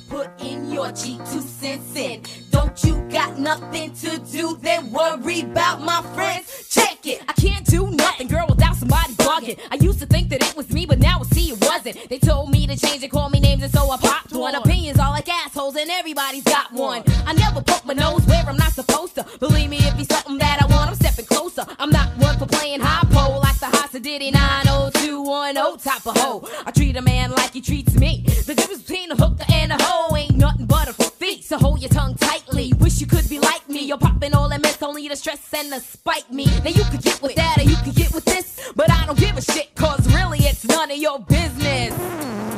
S6: Put in your G two cents in. Don't you got nothing to do? Then worry about my friends. Check it. I can't do nothing, girl, without somebody bugging. I used to think that it was me, but now I see it wasn't. They told me to change and call me names, and so I popped one. Opinions are like assholes, and everybody's got one. I never poke my nose where I'm not supposed to. Believe me, if it's something that I want, I'm stepping closer. I'm not one for playing high pole like the Hasa Diddy nine oh two one oh type of hoe. I treat a man like he treats me. The difference between a hooker and a hoe ain't nothing but a feat. So hold your tongue tightly. Wish you could be like me. You're popping all that mess, only to stress and to spite me. Now you could get with that or you could get with this, but I don't give a shit, cause really it's none of your business.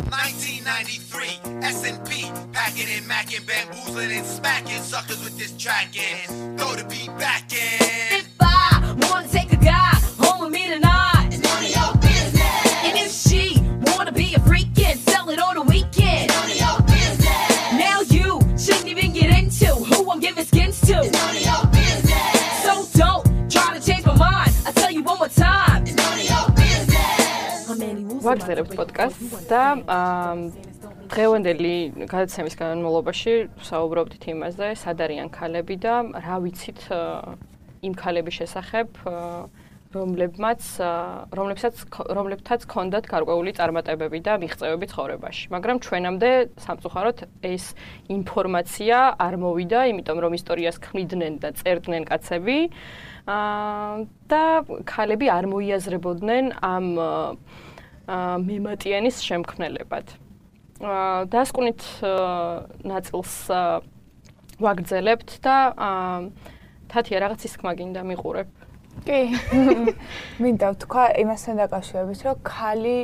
S7: nineteen ninety-three, S and P, packing and macking, bamboozling and smacking suckers with this track in. Throw the beat back in.
S6: If I wanna take a guy home with me tonight, it's none of your business. And if she wanna be a freak and sell it on the weekend, it's none of your business. Now you shouldn't even get into who I'm giving skins to, it's none of your business. So don't try to change my mind. I tell you one more time, it's none of your business.
S2: ვაგზავნებთ პოდკასტს და დღევანდელი გადაცემის განმავლობაში ვსაუბრობთ იმაზე, სად არიან ქალები და რა ვიცით იმ ქალების შესახებ, რომლებმაც რომლებსაც რომლებთაც ჰქონდათ გარკვეული წარმატებები და მიღწევები ცხოვრებაში. მაგრამ ჩვენამდე სამწუხაროდ ეს ინფორმაცია არ მოვიდა, იმიტომ რომ ისტორიას ქმნიდნენ და წერდნენ კაცები და ქალები არ მოიაზრებოდნენ ამ მემატიანის შემქმნელებად. დასკვნით ნაწილს ვაგრძელებთ და თათია რაღაც ისკმა გინდა მიყურებ.
S4: კი. მინდა ვთქვა იმასთან დაკავშირებით, რომ ქალი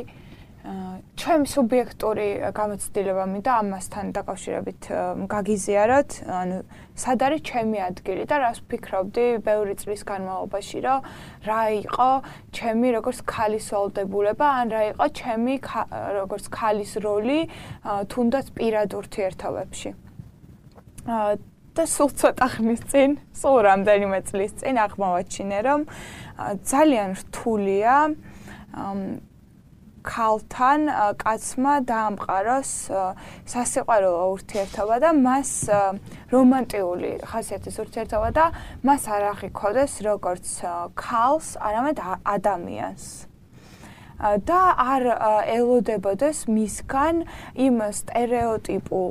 S4: ჩემი სუბიექტური გამოცდილება მინდა ამასთან დაკავშირებით გაგიზიაროთ, ანუ სად არის ჩემი ადგილი და რას ვფიქრობდი ბევრი წლის განმავლობაში, რომ რა იყო ჩემი როგორც ქალის ვალდებულება, ან რა იყო ჩემი როგორც ქალის როლი თუნდაც პირად ურთიერთობებში. და სულ ცოტა ხნის წინ, სულ რამდენიმე წლის წინ აღმოვაჩინე, რომ ძალიან რთულია ქალთან კაცმა დაამყაროს სასიყვარულო ურთიერთობა და მას რომანტიული ხასიათის ურთიერთობა და მას არ აღიქოდეს როგორც ქალს, არამედ ადამიანს. და არ ელოდებოდეს მისგან იმ სტერეოტიპულ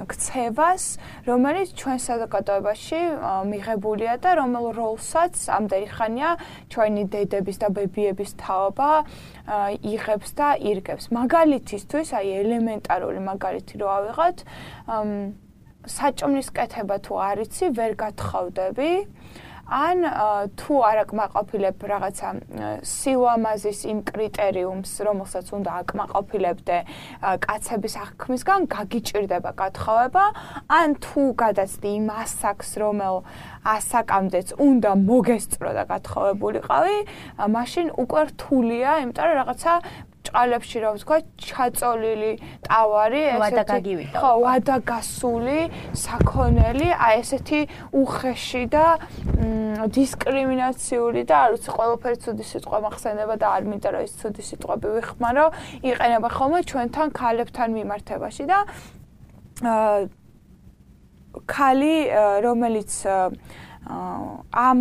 S4: ქცევას, რომელიც ჩვენ საზოგადოებაში მიღებულია და რომელ როლსაც ამდენი ხანია ჩვენი დედების და ბებიების თაობა იღებს და ირგებს. მაგალითისთვის, აი ელემენტარული მაგალითი რო ავიღოთ, საჭმლის კეთება თუ არ იცი, ვერ გათხოვდები. ან თუ არ აკმაყოფილებ რაღაცა სილამაზის იმ კრიტერიუმს, რომელსაც უნდა აკმაყოფილებდე კაცების აღქმისგან, გაგიჭირდება გათხოვება, ან თუ გადაცდი იმ ასაკს, რომელ ასაკამდეც უნდა მოგესწრო და გათხოვებულიყავი, მაშინ უკვე რთულია, იმიტომ რომ რაღაცა ჭყალებში რა ვთქვა, ჩაწოლილი ტავარი, ესეთი ხო, ვადაგასული, საქონელი, აი ესეთი უხეში და დისკრიმინაციული და არ ვიცი, ყველაფერი ცუდი სიტყვა მახსენდება და არ მინდა რომ ის ცუდი სიტყვები ვიხმარო, იყენება ხოლმე ჩვენთან ქალებთან მიმართებაში და ქალი, რომელიც ამ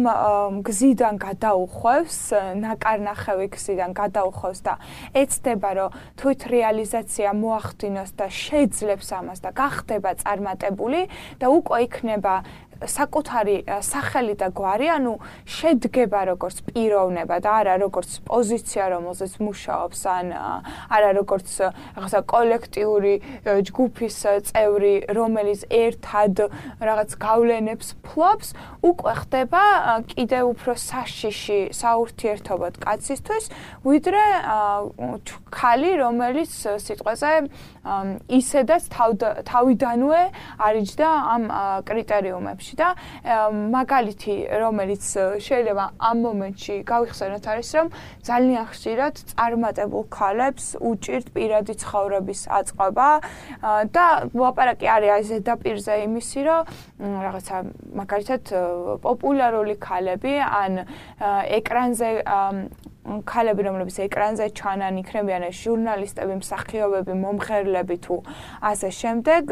S4: გზიდან გადაუხვევს, ნაკარნახევი გზიდან გადაუხვევს და ეცდება, რომ თვით რეალიზაცია მოახდინოს და შეძლებს ამას და გახდება წარმატებული და უკვე იქნება საკუთარი სახელი და გვარი, ანუ შედგება როგორც პიროვნება და არა როგორც პოზიცია, რომელზეც მუშაობს, ან არა როგორც რაღაცა კოლექტიური ჯგუფის წევრი, რომელიც ერთად რაღაც გავლენებს ფლობს, უკვე ხდება კიდევ უფრო საშიში საურთიერთობოდ კაცისთვის, ვიდრე ქალი, რომელიც სიტყვაზე ისედაც თავიდანვე არიჯდა ამ კრიტერიუმებში. და მაგალითი, რომელიც შეიძლება ამ მომენტში გავიხსენოთ არის, რომ ძალიან ხშირად წარმატებულ ქალებს უჭირთ პირადი ცხოვრების აწყობა და ლაპარაკი არის აი ზედაპირზე იმისი, რომ რაღაცა მაგალითად პოპულარული ქალები ან ეკრანზე ქალები, რომლებიც ეკრანზე ჩანან, იქნებიან ჟურნალისტები, მსახიობები, მომღერლები თუ ასე შემდეგ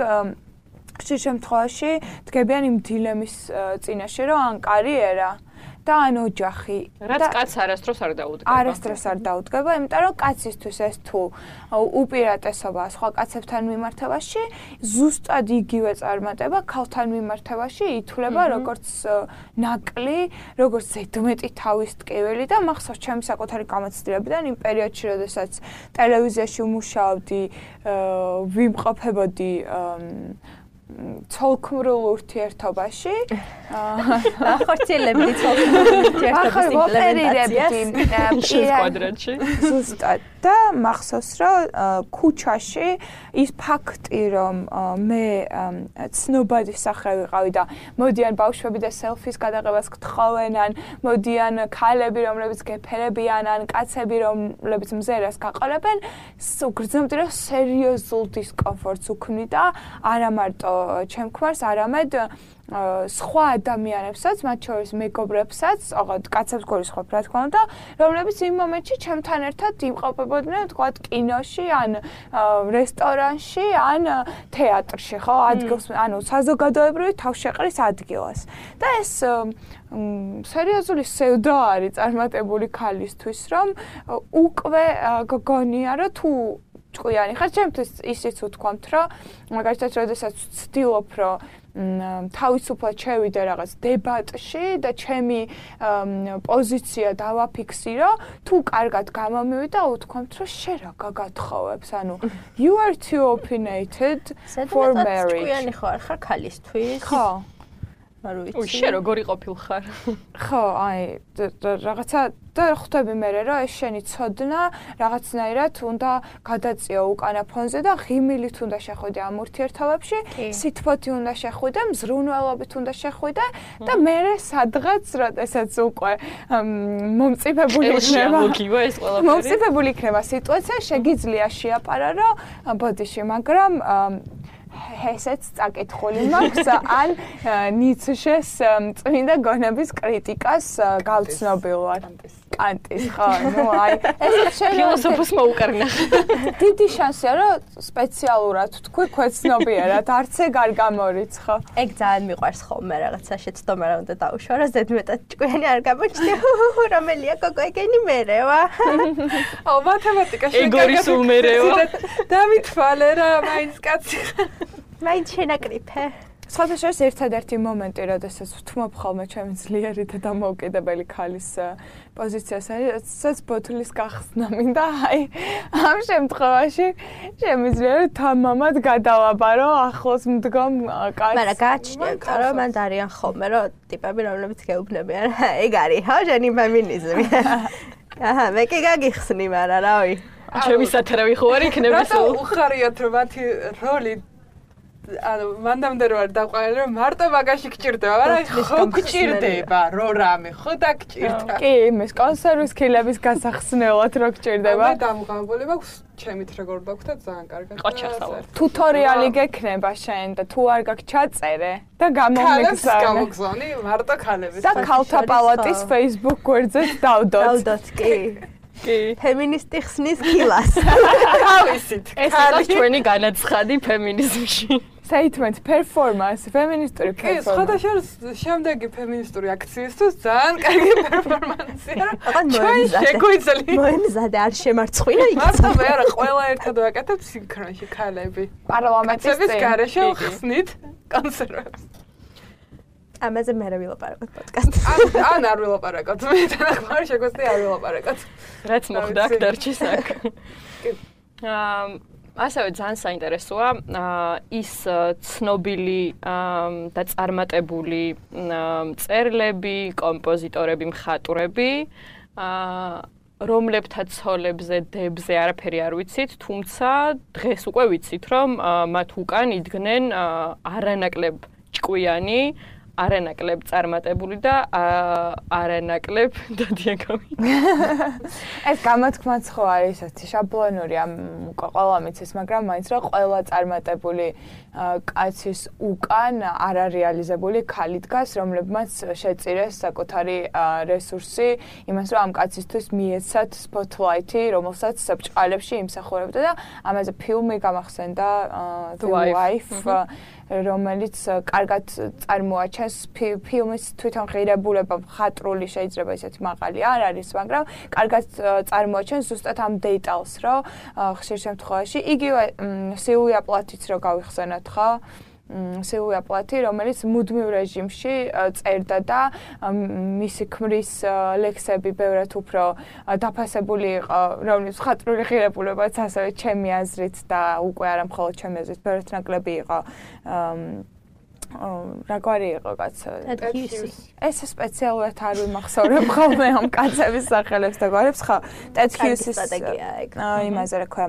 S4: ხშირ შემთხვევაში დგებიან იმ დილემის წინაშე, რომ ან კარიერა და ან ოჯახი.
S2: რაც კაცს არასდროს არ დაუდგება.
S4: არასდროს არ დაუდგება, იმიტომ რომ კაცისთვის ეს თუ უპირატესობა სხვა კაცებთან მიმართებაში, ზუსტად იგივე წარმატება ქალთან მიმართებაში ითვლება როგორც ნაკლი, როგორც ზედმეტი თავის ტკივილი და მახსოვს ჩემი საკუთარი გამოცდილებიდან იმ პერიოდში, როდესაც ტელევიზიაში ვმუშაობდი, ვიმყოფებოდი ცოლქმრულ ურთიერთობაში.
S3: ახორციელებდი ცოლქმრულ ურთიერთობის იმპლემენტაციას
S2: კვადრატში.
S4: ზუსტად და მახსოვს, რომ ქუჩაში ის ფაქტი, რომ მე ცნობადი სახე ვიყავი და მოდიან ბავშვები და სელფის გადაღებას გთხოვენ, ან მოდიან ქალები, რომლებიც გეფერებიან, ან კაცები, რომლებიც მზერას გაყოლებენ, გრძნობდი, რომ სერიოზულ დისკომფორტს უქმნიდა, არა მარტო ჩემ ქმარს, არამედ სხვა ადამიანებსაც, მათ შორის მეგობრებსაც, ოღონდ კაცებს გულისხმობ, რა თქმა უნდა, რომლებიც იმ მომენტში ჩემთან ერთად იმყოფებოდნენ, თქვათ, კინოში, ან რესტორანში, ან თეატრში, ხო, ადგილს, ანუ საზოგადოებრივი თავშეყრის ადგილას. და ეს სერიოზული სევდა არის წარმატებული ქალისთვის, რომ უკვე გგონია, რომ თუ ჭკვიანი ხარ, ჩემთვის ისიც ვთქვამთ, რომ მაგალითად, როდესაც ვცდილობ, რომ თავისუფლად შევიდე რაღაც დებატში და ჩემი პოზიცია დავაფიქსირო, თუ კარგად გამომივიდა, ვთქვამთ, რომ შენ რა გაგათხოვებს, ანუ you are too opinionated for marriage.
S3: ჭკვიანი ხარ, ხარ ქალისთვის?
S4: ხო.
S3: არ ვიცი.
S2: უშ შენ როგორი ყოფილხარ?
S4: ხო, აი რაღაცა და ხვდები მე რომ ეს შენი ცოდნა რაღაცნაირად უნდა გადაწიო უკანა ფონზე და ღიმილით უნდა შეხვიდე ამ ურთიერთობებში, სითბოთი უნდა შეხვიდე, მზრუნველობით უნდა შეხვიდე და მე სადღაც როდესაც უკვე მომწიფებული იქნება. მომწიფებული იქნება სიტუაცია, შეგიძლია შეაპარა რომ ბოდიში, მაგრამ ესეც წაკითხული მაქვს ან ნიცშეს წმინდა გონების კრიტიკას გავცნობილვარ. კანტის, ხო, ნუ აი ეს
S2: ფილოსოფოს მოუკარნა.
S4: დიდი შანსია რომ სპეციალურად თქვი ქვეცნობიერად, არც ეგ არ გამორიცხო.
S3: ეგ ძალიან მიყვარს ხოლმე რაღაცა შეცდომა რა უნდა დაუშვა, რომ ზედმეტად ჭკვიანი არ გამოჩნდა. რომელია გოგო ეგენი მერევა.
S5: აუ მათემატიკაში
S2: ეგორის უმერევა.
S5: დავითვალე რა, მაინც კაცი.
S3: მაინც შენაკრიფე.
S4: სხვათა შორის ერთადერთი მომენტი, როდესაც ვთმობ ხოლმე ჩემი ძლიერი და დამოუკიდებელი ქალის პოზიციას, არის ბოთლის გახსნა მინდა. აი, ამ შემთხვევაში შემიძლია რომ თამამად გადავაბარო ახლოს მდგომ კაცს.
S3: მაგრამ გააჩნია, რომ მან არიან ხოლმე, რომ ტიპები, რომლებიც გეუბნებიან, ეგ არის, ხო, ჟენი ფემინიზმი. აჰა, მე კი გაგიხსნი, მაგრამ რავი.
S2: ჩემი სათარავი ხო არ იქნება
S5: სულ. რატო უხარიათ რომ მათი როლი ანუ მანდამდე რო არ დაყვანილი რომ მარტო მაგაში გჭირდება, მაგრამ ხო გჭირდება რო რამე, ხო დაგჭირდა.
S4: კი, იმის კონსერვის ქილების გასახსნელად რო გჭირდება.
S5: მე დამღამებული მაქვს ჩემით როგორ დაგვხდა ძალიან კარგად.
S2: ყოჩახსავა.
S4: ტუტორიალი გექნება შენ და თუ არ გაქვს ჩაწერე და გამომიგზავნე.
S5: გამოგზავნი მარტო ქალების.
S4: და ქალთა პალატის Facebook გვერდზეც დავდოთ.
S3: დავდოთ, კი.
S2: კი.
S3: ფემინისტი ხსნის ქილას.
S5: თავისით.
S2: ეს არის ჩვენი განაცხადი ფემინიზმში.
S4: Statement, performance, feministური performance.
S5: კი, სხვადასხვა შემდეგი ფემინისტური აქციისთვის ძალიან კარგი პერფორმანსია.
S3: ჩვენ
S5: შეგვიძლია.
S3: მოემზადე არ შემარცხვინა იქ.
S5: მარტო მე არა, ყველა ერთად ვაკეთებ სინქრონში ქალები.
S4: პარლამენტის წინ.
S5: ეს გარეშე ხსნით კონსერვებს.
S3: ამაზე მე რა ვილაპარაკოთ პოდკასტში.
S5: ან არ ვილაპარაკოთ. მე თანახმარ შეგვიძლია არ ვილაპარაკოთ.
S2: რაც მოხდა აქ დარჩის აქ. აა ასევე ძალიან საინტერესოა ის ცნობილი და წარმატებული მწერლები, კომპოზიტორები, მხატვრები, რომლებთან ცოლებზე, დებზე არაფერი არ ვიცით, თუმცა დღეს უკვე ვიცით, რომ მათ უკან იდგნენ არანაკლებ ჭკვიანი, არანაკლებ წარმატებული და არანაკლებ დადიაგავი.
S4: ეს გამოთქმაც ხო არის ესეთი შაბლონური ამ ყველა მიცეს, მაგრამ მაინც რა ყველა წარმატებული კაცის უკან არარეალიზებული ქალი დგას, რომლებმაც შეწირეს საკუთარი რესურსი იმას, რომ ამ კაცისთვის მიეცათ spotlight-ი, რომელსაც ბჭყალებში იმსახურებდა და ამაზე ფილმი გამახსენდა The Wife, რომელიც კარგად წარმოაჩენს ფილმის თვითონ ღირებულება, მხატვრული შეიძლება ისეთი მაღალი არ არის, მაგრამ კარგად წარმოაჩენს ზუსტად ამ დეტალს, რომ ხშირ შემთხვევაში იგივე სილვია პლათიც რო გავიხსენოთ, ხო? სილვია პლათი, რომელიც მუდმივ რეჟიმში წერდა და მისი ქმრის ლექსები ბევრად უფრო დაფასებული იყო, რომლის მხატვრული ღირებულებაც ასევე ჩემი აზრით და უკვე არა მხოლოდ ჩემი აზრით, ბევრად ნაკლები იყო. რაგვარი იყო კაცო? ეს სპეციალურად არ ვიმახსოვრებ ხოლმე ამ კაცების სახელებს და გვარებს, ხო? ტედ ჰიუსის
S3: სტრატეგია ეგ.
S4: იმაზე რა ქვია,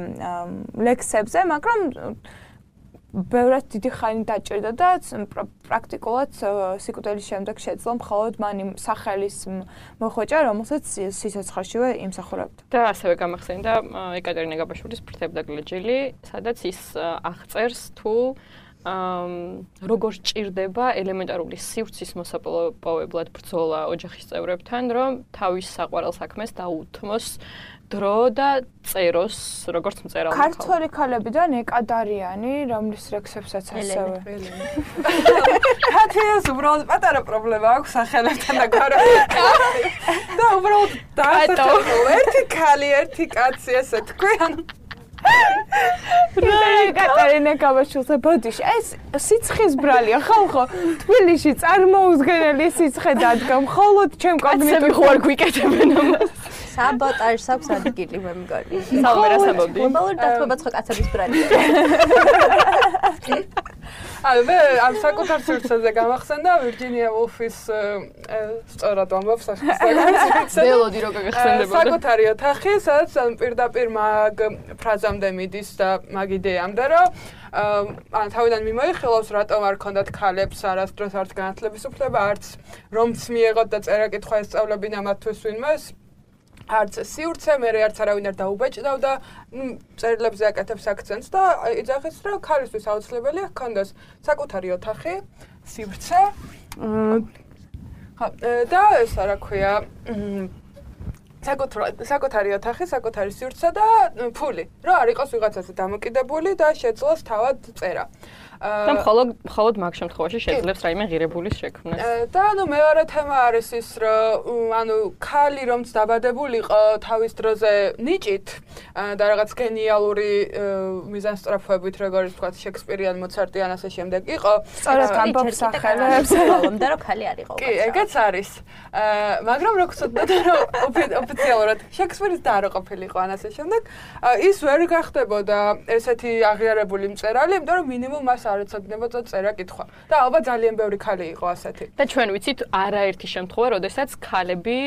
S4: ლექსებზე, მაგრამ ბევრად დიდი ხანი დაჭირდა და პრაქტიკულად სიკვდილის შემდეგ შეძლო მხოლოდ მან იმ სახელის მოხვეჭა, რომელსაც სიცოცხლეშივე იმსახურებდა.
S2: და ასევე გამახსენდა ეკატერინე გაბაშვილის ფრთებდა გლეჯილი, სადაც ის აღწერს თუ აა როგორ ჭირდება ელემენტარული სივრცის მოსაპოვებლად ბრძოლა ოჯახის წევრებთან, რომ თავის საყვარელ საქმეს დაუთმოს დრო და წეროს როგორც მწერალმა.
S4: ქართველი ქალებიდან ეკადარიანი, რომლის რექსებსაც ასევე.
S5: ქართველს უბრალოდ პატარა პრობლემა აქვს სახელებთან და გარემოთი. და უბრალოდ დაასახელო ერთი ქალი, ერთი კაცი ესე თქვი, ანუ
S4: რა კატარინა კაბაშვილზე ბოდიში ეს სიცხის ბრალია ხალხო თბილისში წარმოუდგენელი სიცხე დადგა მხოლოდ ჩემ კოგნიტივ
S2: ხო არ გვიკეთებენ ამას
S3: საბოტაჟს აქვს ადგილი მე მგონი
S2: საუბარ ასაბობდი
S3: გლობალური დათბობა ცხო კაცების ბრალია
S5: ანუ მე ამ საკუთარ სივრცეზე გამახსენდა ვირჯინია ვულფის სწორად ამბობს სახელს
S2: ველოდი როგორ გახსენდებოდა
S5: საკუთარი ოთახი სადაც პირდაპირ მაგ ფრაზამდე მიდის და მაგ იდეამდე რომ ან თავიდან მიმოიხილავს რატომ არ ქონდათ ქალებს არასდროს არც განათლების უფლება არც რომც მიეღოთ და წერა-კითხვა ესწავლებინა მათთვის ვინმეს არც სივრცე, მე არც არავინ არ დაუბეჭდავდა, წერილებზე აკეთებს აქცენტს და იძახის, რომ ქალისთვის აუცილებელია ჰქონდეს საკუთარი ოთახი, სივრცე. და ეს რა ქვია, საკუთარი ოთახი, საკუთარი სივრცე და ფული. რომ არ იყოს ვიღაცაზე დამოკიდებული და შეძლოს თავად წერა.
S2: და მხოლოდ მხოლოდ მაგ შემთხვევაში შეძლებს რაიმე ღირებულის შექმნას.
S5: და ანუ მეორე თემა არის ის, რომ ანუ ქალი რომც დაბადებულიყო თავის დროზე ნიჭით და რაღაც გენიალური მიზანსწრაფვებით, როგორც თქვა შექსპირიან, მოცარტი ან ასე შემდეგ იყო.
S4: სწორედ ამბობს სახელებს,
S3: ხოლმე რომ ქალი არ იყო.
S5: კი, ეგეც არის. მაგრამ რო გწოდოთ რომ ოფიციალურად შექსპირის და არ ყოფილიყო ან ასე შემდეგ, ის ვერ გახდებოდა ესეთი აღიარებული მწერალი, იმიტომ რომ მინიმუმ მას არ ეცოდინებოდა წერა-კითხვა. და ალბათ ძალიან ბევრი ქალი იყო ასეთი.
S2: და ჩვენ ვიცით არაერთი შემთხვევა, როდესაც ქალები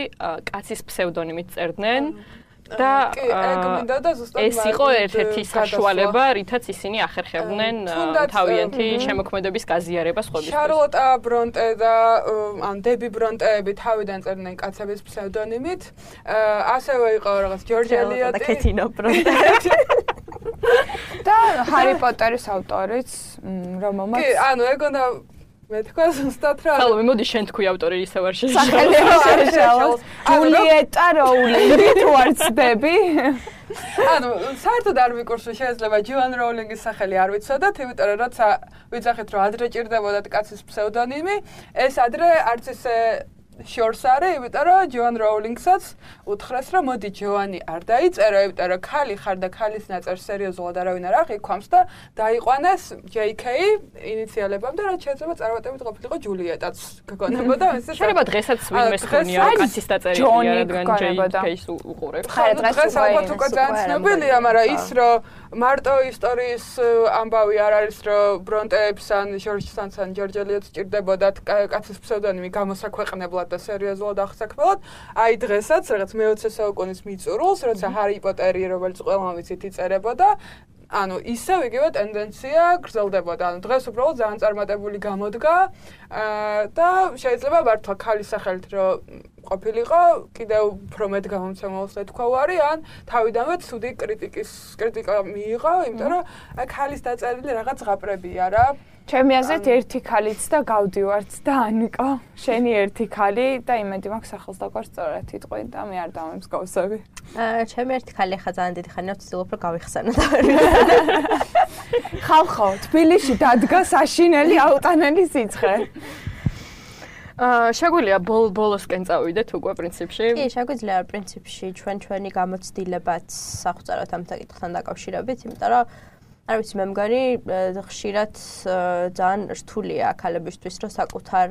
S2: კაცის ფსევდონიმით წერდნენ და ეს იყო ერთ-ერთი საშუალება, რითაც ისინი ახერხებდნენ თავიანთი შემოქმედების გაზიარებას სხვებისთვის.
S5: შარლოტა ბრონტე და ან დები ბრონტეები თავიდან წერდნენ კაცების ფსევდონიმით. ასევე იყო რაღაც ჯორჯ ელიოტი
S3: და კეთინო ბრონტე.
S4: და ჰარი პოტერის ავტორიც, რომელმაც
S5: კი, ანუ ეგონა მე თქვა ზუსტად რა.
S2: ხალხო, მოდი შენ თქვი ავტორი ისევ არ შეშალოს.
S4: სახელი არ შეშალოს. ჯულიეტა როულინგი თუ არ ცდები?
S5: ანუ საერთოდ არ მიკურსო შეიძლება ჯოან როულინგის სახელი არ ვიცოდათ, იმიტომ რომ როცა ვიძახეთ რომ ადრე ჭირდებოდა კაცის ფსევდონიმი, ეს ადრე არც ისე შორს არის, იმიტომ რომ ჯოან როულინგსაც უთხრეს რომ მოდი ჯოანი არ დაიწერო, იმიტომ რომ ქალი ხარ და ქალის ნაწერს სერიოზულად არავინ არ აღიქვამს და დაიყვანეს ჯეი კეი ინიციალებამდე, რაც შეიძლება წარმატებით ყოფილიყო ჯულიეტაც გგონებოდა ეს
S2: შეიძლება დღესაც ვინმეს ხონია კაცის დაწერილია, რადგან ჯეი კეის უყურებს.
S5: დღეს ალბათ უკვე ძალიან ცნობილია, მაგრამ ის რომ მარტო ისტორიის ამბავი არ არის რომ ბრონტეებს ან ჟორჯ სანს ან ჯორჯ ელიოტს ჭირდებოდათ კაცის ფსევდონიმი გამოსაქვეყნებლად და სერიოზულად აღსაქმებლად, აი დღესაც რაღაც მეოცე საუკუნის მიწურულს, როცა ჰარი პოტერი რომელიც ყველამ ვიცით იწერებოდა, ანუ ისევ იგივე ტენდენცია გრძელდებოდა. ანუ დღეს უბრალოდ ძალიან წარმატებული გამოდგა და შეიძლება მართლა ქალის სახელით რომ ყოფილიყო, კიდევ უფრო მეტ გამომცემელს ეთქვა ვარი, ან თავიდანვე ცუდი კრიტიკის კრიტიკა მიიღო, იმიტომ რომ ქალის დაწერილი რაღაც ზღაპრებია რა.
S4: ჩემი აზრით ერთი ქალიც და გავდივართ და ანიკო, შენი ერთი ქალი და იმედი მაქვს სახელს დაგვარ სწორად იტყვი და მე არ დამემსგავსები.
S3: აა ჩემი ერთი ქალი ხა ძალიან დიდი ხანია ვცდილობ რომ გავიხსენო და
S4: ხალხო, თბილისში დადგა საშინელი აუტანელი სიცხე.
S2: აა შეგვიძლია ბოლოსკენ წავიდეთ უკვე პრინციპში?
S3: კი, შეგვიძლია პრინციპში ჩვენ ჩვენი გამოცდილებაც სახვწაროთ ამ საკითხთან დაკავშირებით, იმიტომ რომ არ ვიცი, მე მგონი ხშირად ძალიან რთულია ქალებისთვის, რომ საკუთარ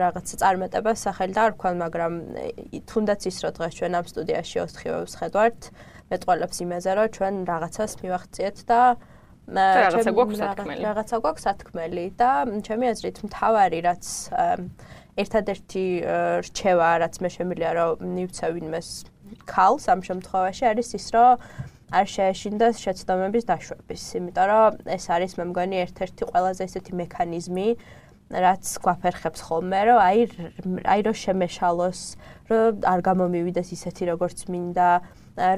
S3: რაღაც წარმატებას სახელი დაარქვან, მაგრამ თუნდაც ის რომ დღეს ჩვენ ამ სტუდიაში ოთხივეებს ხედავთ, მეტყველებს იმაზე, რომ ჩვენ რაღაცას მივახციეთ და
S2: რაღაცა გვაქვს სათქმელი.
S3: რაღაცა გვაქვს სათქმელი და ჩემი აზრით მთავარი რაც ერთადერთი რჩევა, რაც მე შემიძლია რომ მივცე ვინმეს ქალს ამ შემთხვევაში არის ის, რომ არ შეეშინდეს შეცდომების დაშვების, იმიტომ რომ ეს არის მე მგონი ერთ-ერთი ყველაზე ესეთი მექანიზმი, რაც გვაფერხებს ხოლმე, რომ აი აი რომ შემეშალოს, რომ არ გამომივიდეს ისეთი როგორც მინდა,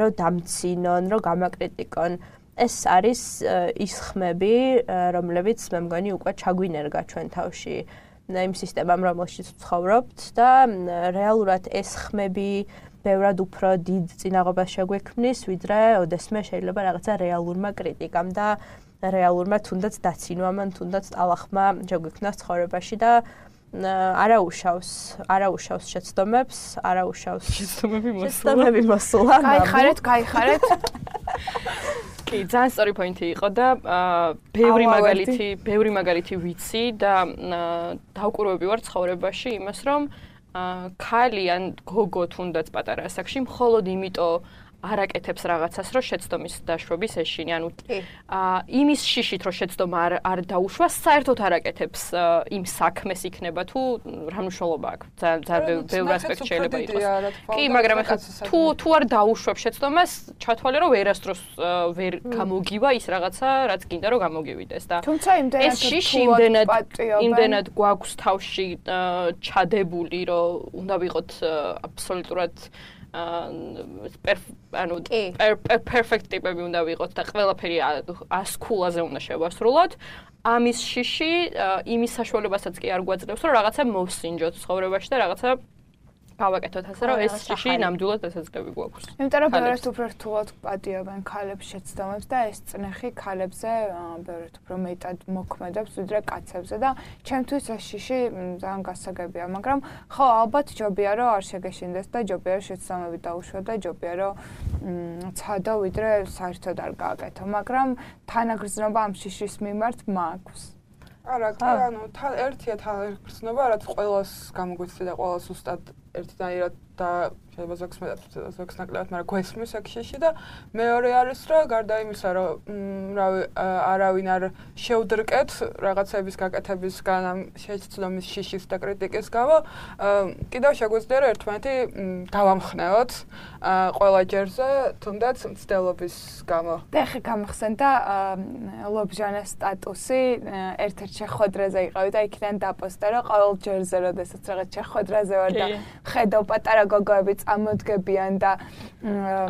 S3: რომ დამცინონ, რომ გამაკრიტიკონ ეს არის ის ხმები, რომლებიც მე მგონი უკვე ჩაგვინერგა ჩვენ თავში იმ სისტემამ, რომელშიც ვცხოვრობთ და რეალურად ეს ხმები ბევრად უფრო დიდ წინაღობას შეგვექმნის, ვიდრე ოდესმე შეიძლება რაღაცა რეალურმა კრიტიკამ და რეალურმა თუნდაც დაცინვამ, თუნდაც ტალახმა შეგვექმნას ცხოვრებაში და არაუშავს, არაუშავს შეცდომებს, არაუშავს
S2: შეცდომები მოსულა.
S3: შეცდომები მოსულა.
S4: გაიხარეთ, გაიხარეთ.
S2: კი, ძალიან სწორი პოინტი იყო და ბევრი მაგალითი, ბევრი მაგალითი ვიცი და დავკვირვები ვარ ცხოვრებაში იმას, რომ ქალი ან გოგო თუნდაც პატარა ასაკში მხოლოდ იმიტომ არაკეთებს რაღაცას, რომ შეცდომის დაშვების ეშინი, ანუ იმის შიშით, რომ შეცდომა არ არ დაუშვა, საერთოდ არაკეთებს იმ საქმეს იქნება თუ რა მნიშვნელობა აქვს. ძალიან ბევრი ასპექტი შეიძლება იყოს. კი, მაგრამ ახლა თუ თუ არ დაუშვებ შეცდომას, ჩათვალე რომ ვერასდროს ვერ გამოგივა ის რაღაცა, რაც გინდა რომ გამოგივიდეს და
S4: თუმცა იმდენად
S2: ეს შიში იმდენად იმდენად გვაქვს თავში ჩადებული, რომ უნდა ვიყოთ აბსოლუტურად ანუ perfect ტიპები უნდა ვიყოთ და ყველაფერი ას ქულაზე უნდა შევასრულოთ. ამის შიში იმის საშუალებასაც კი არ გვაძლევს, რომ რაღაცა მოვსინჯოთ ცხოვრებაში და რაღაცა გავაკეთოთ ასე, რომ ეს შიში ნამდვილად დასაძლევი გვაქვს.
S4: იმიტომ რომ ბევრად უფრო რთულად პატიობენ ქალებს შეცდომებს და ეს წნეხი ქალებზე ბევრად უფრო მეტად მოქმედებს ვიდრე კაცებზე და ჩემთვის ეს შიში ძალიან გასაგებია, მაგრამ ხო ალბათ ჯობია რომ არ შეგეშინდეს და ჯობია რომ შეცდომები დაუშვა და ჯობია რომ ცადო ვიდრე საერთოდ არ გააკეთო, მაგრამ თანაგრძნობა ამ შიშის მიმართ მაქვს.
S5: არა, ანუ თან ერთია თანაგრძნობა, რაც ყველას გამოგვიცდი და ყველას უსტად ერთდაირად და შეიძლება ზოგს მეტად ზოგს ნაკლებად, მაგრამ გვესმის აქ შიში და მეორე არის რომ გარდა იმისა, რომ რავი არავინ არ შევდრკეთ რაღაცების გაკეთებისგან ამ შეცდომის შიშის და კრიტიკის გამო, კიდევ შეგვიძლია რომ ერთმანეთი დავამხნევოთ ყველა ჯერზე, თუნდაც მცდელობის გამო.
S4: და ახლა გამახსენდა ლობჟანეს სტატუსი ერთ-ერთ შეხვედრაზე იყავი და იქიდან დაპოსტა რომ ყოველ ჯერზე როდესაც რაღაც შეხვედრაზე ვარ და ხედავ პატარა გოგოები წამოდგებიან და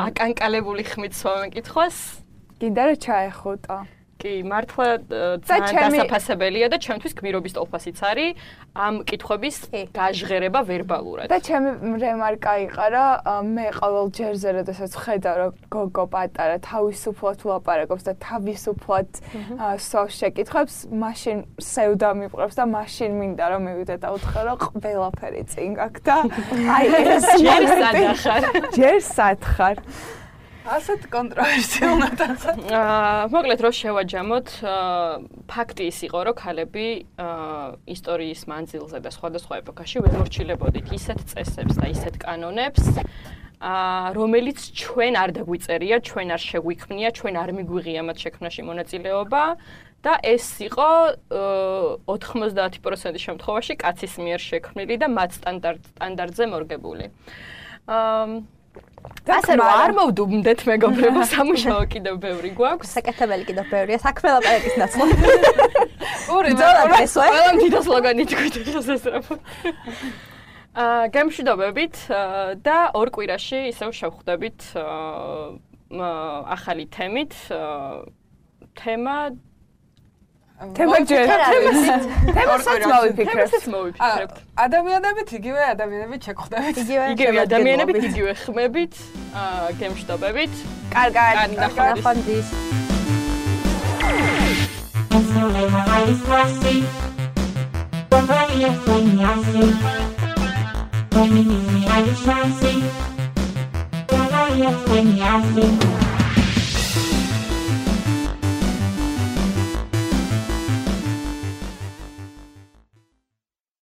S2: აკანკალებული ხმით სვამეკითხოს
S4: გინდა რომ ჩაეხუტო.
S2: კი, მართლა ძალიან დასაფასებელია და ჩემთვის გმირობის ტოლფასიც არის ამ კითხვების გაჟღერება ვერბალურად.
S4: და ჩემი რემარკა იყარა, მე ყოველ ჯერზე როდესაც ხედავ რომ გოგო პატარა თავისუფლად ვლაპარაკობს და თავისუფლად სვავს შეკითხვებს, მაშინ სევდა მიყვებს და მაშინ მინდა რომ მივიდე და უთხრა რომ ყველაფერი წინ გაქვს და აი ეს
S2: ჯერ სადახარ.
S4: ჯერ სათხარ.
S5: ასეთ კონტროვერსიულადაც.
S2: აა, მოკლედ რო შევაჯამოთ, ფაქტი ის იყო, რომ ქალები ისტორიის მანძილზე და სხვადასხვა ეპოქაში ვერ მორჩილებოდით ისეთ წესებს და ისეთ კანონებს, აა, რომელიც ჩვენ არ დაგვიწერია, ჩვენ არ შეგვიქმნია, ჩვენ არ მიგვიღია მათ შექმნაში მონაწილეობა და ეს იყო ოთხმოცდაათი პროცენტის შემთხვევაში კაცის მიერ შექმნილი და მათ სტანდარტზე მორგებული. აა ასე რომ არ მოვდუმდეთ მეგობრებო, სამუშაო კიდევ ბევრი გვაქვს.
S3: საკეთებელი კიდევ ბევრია, საქმე ლაპარაკის ნაცვლად.
S2: ორი ყველამ დიდ სლოგანი თქვით შესაძლოა. აა გემშვიდობებით და ორ კვირაში ისევ შევხვდებით ახალი თემით. თემა
S4: თემა ჯერ თემასაც მოვიფიქრებ.
S2: თემასაც მოვიფიქრებ.
S5: ადამიანებით იგივე ადამიანებით შეგხვდებით.
S2: იგივე ადამიანებით, იგივე ხმებით, აა გემშვიდობებით.
S4: კარგად,
S3: ნახვამდის.
S8: When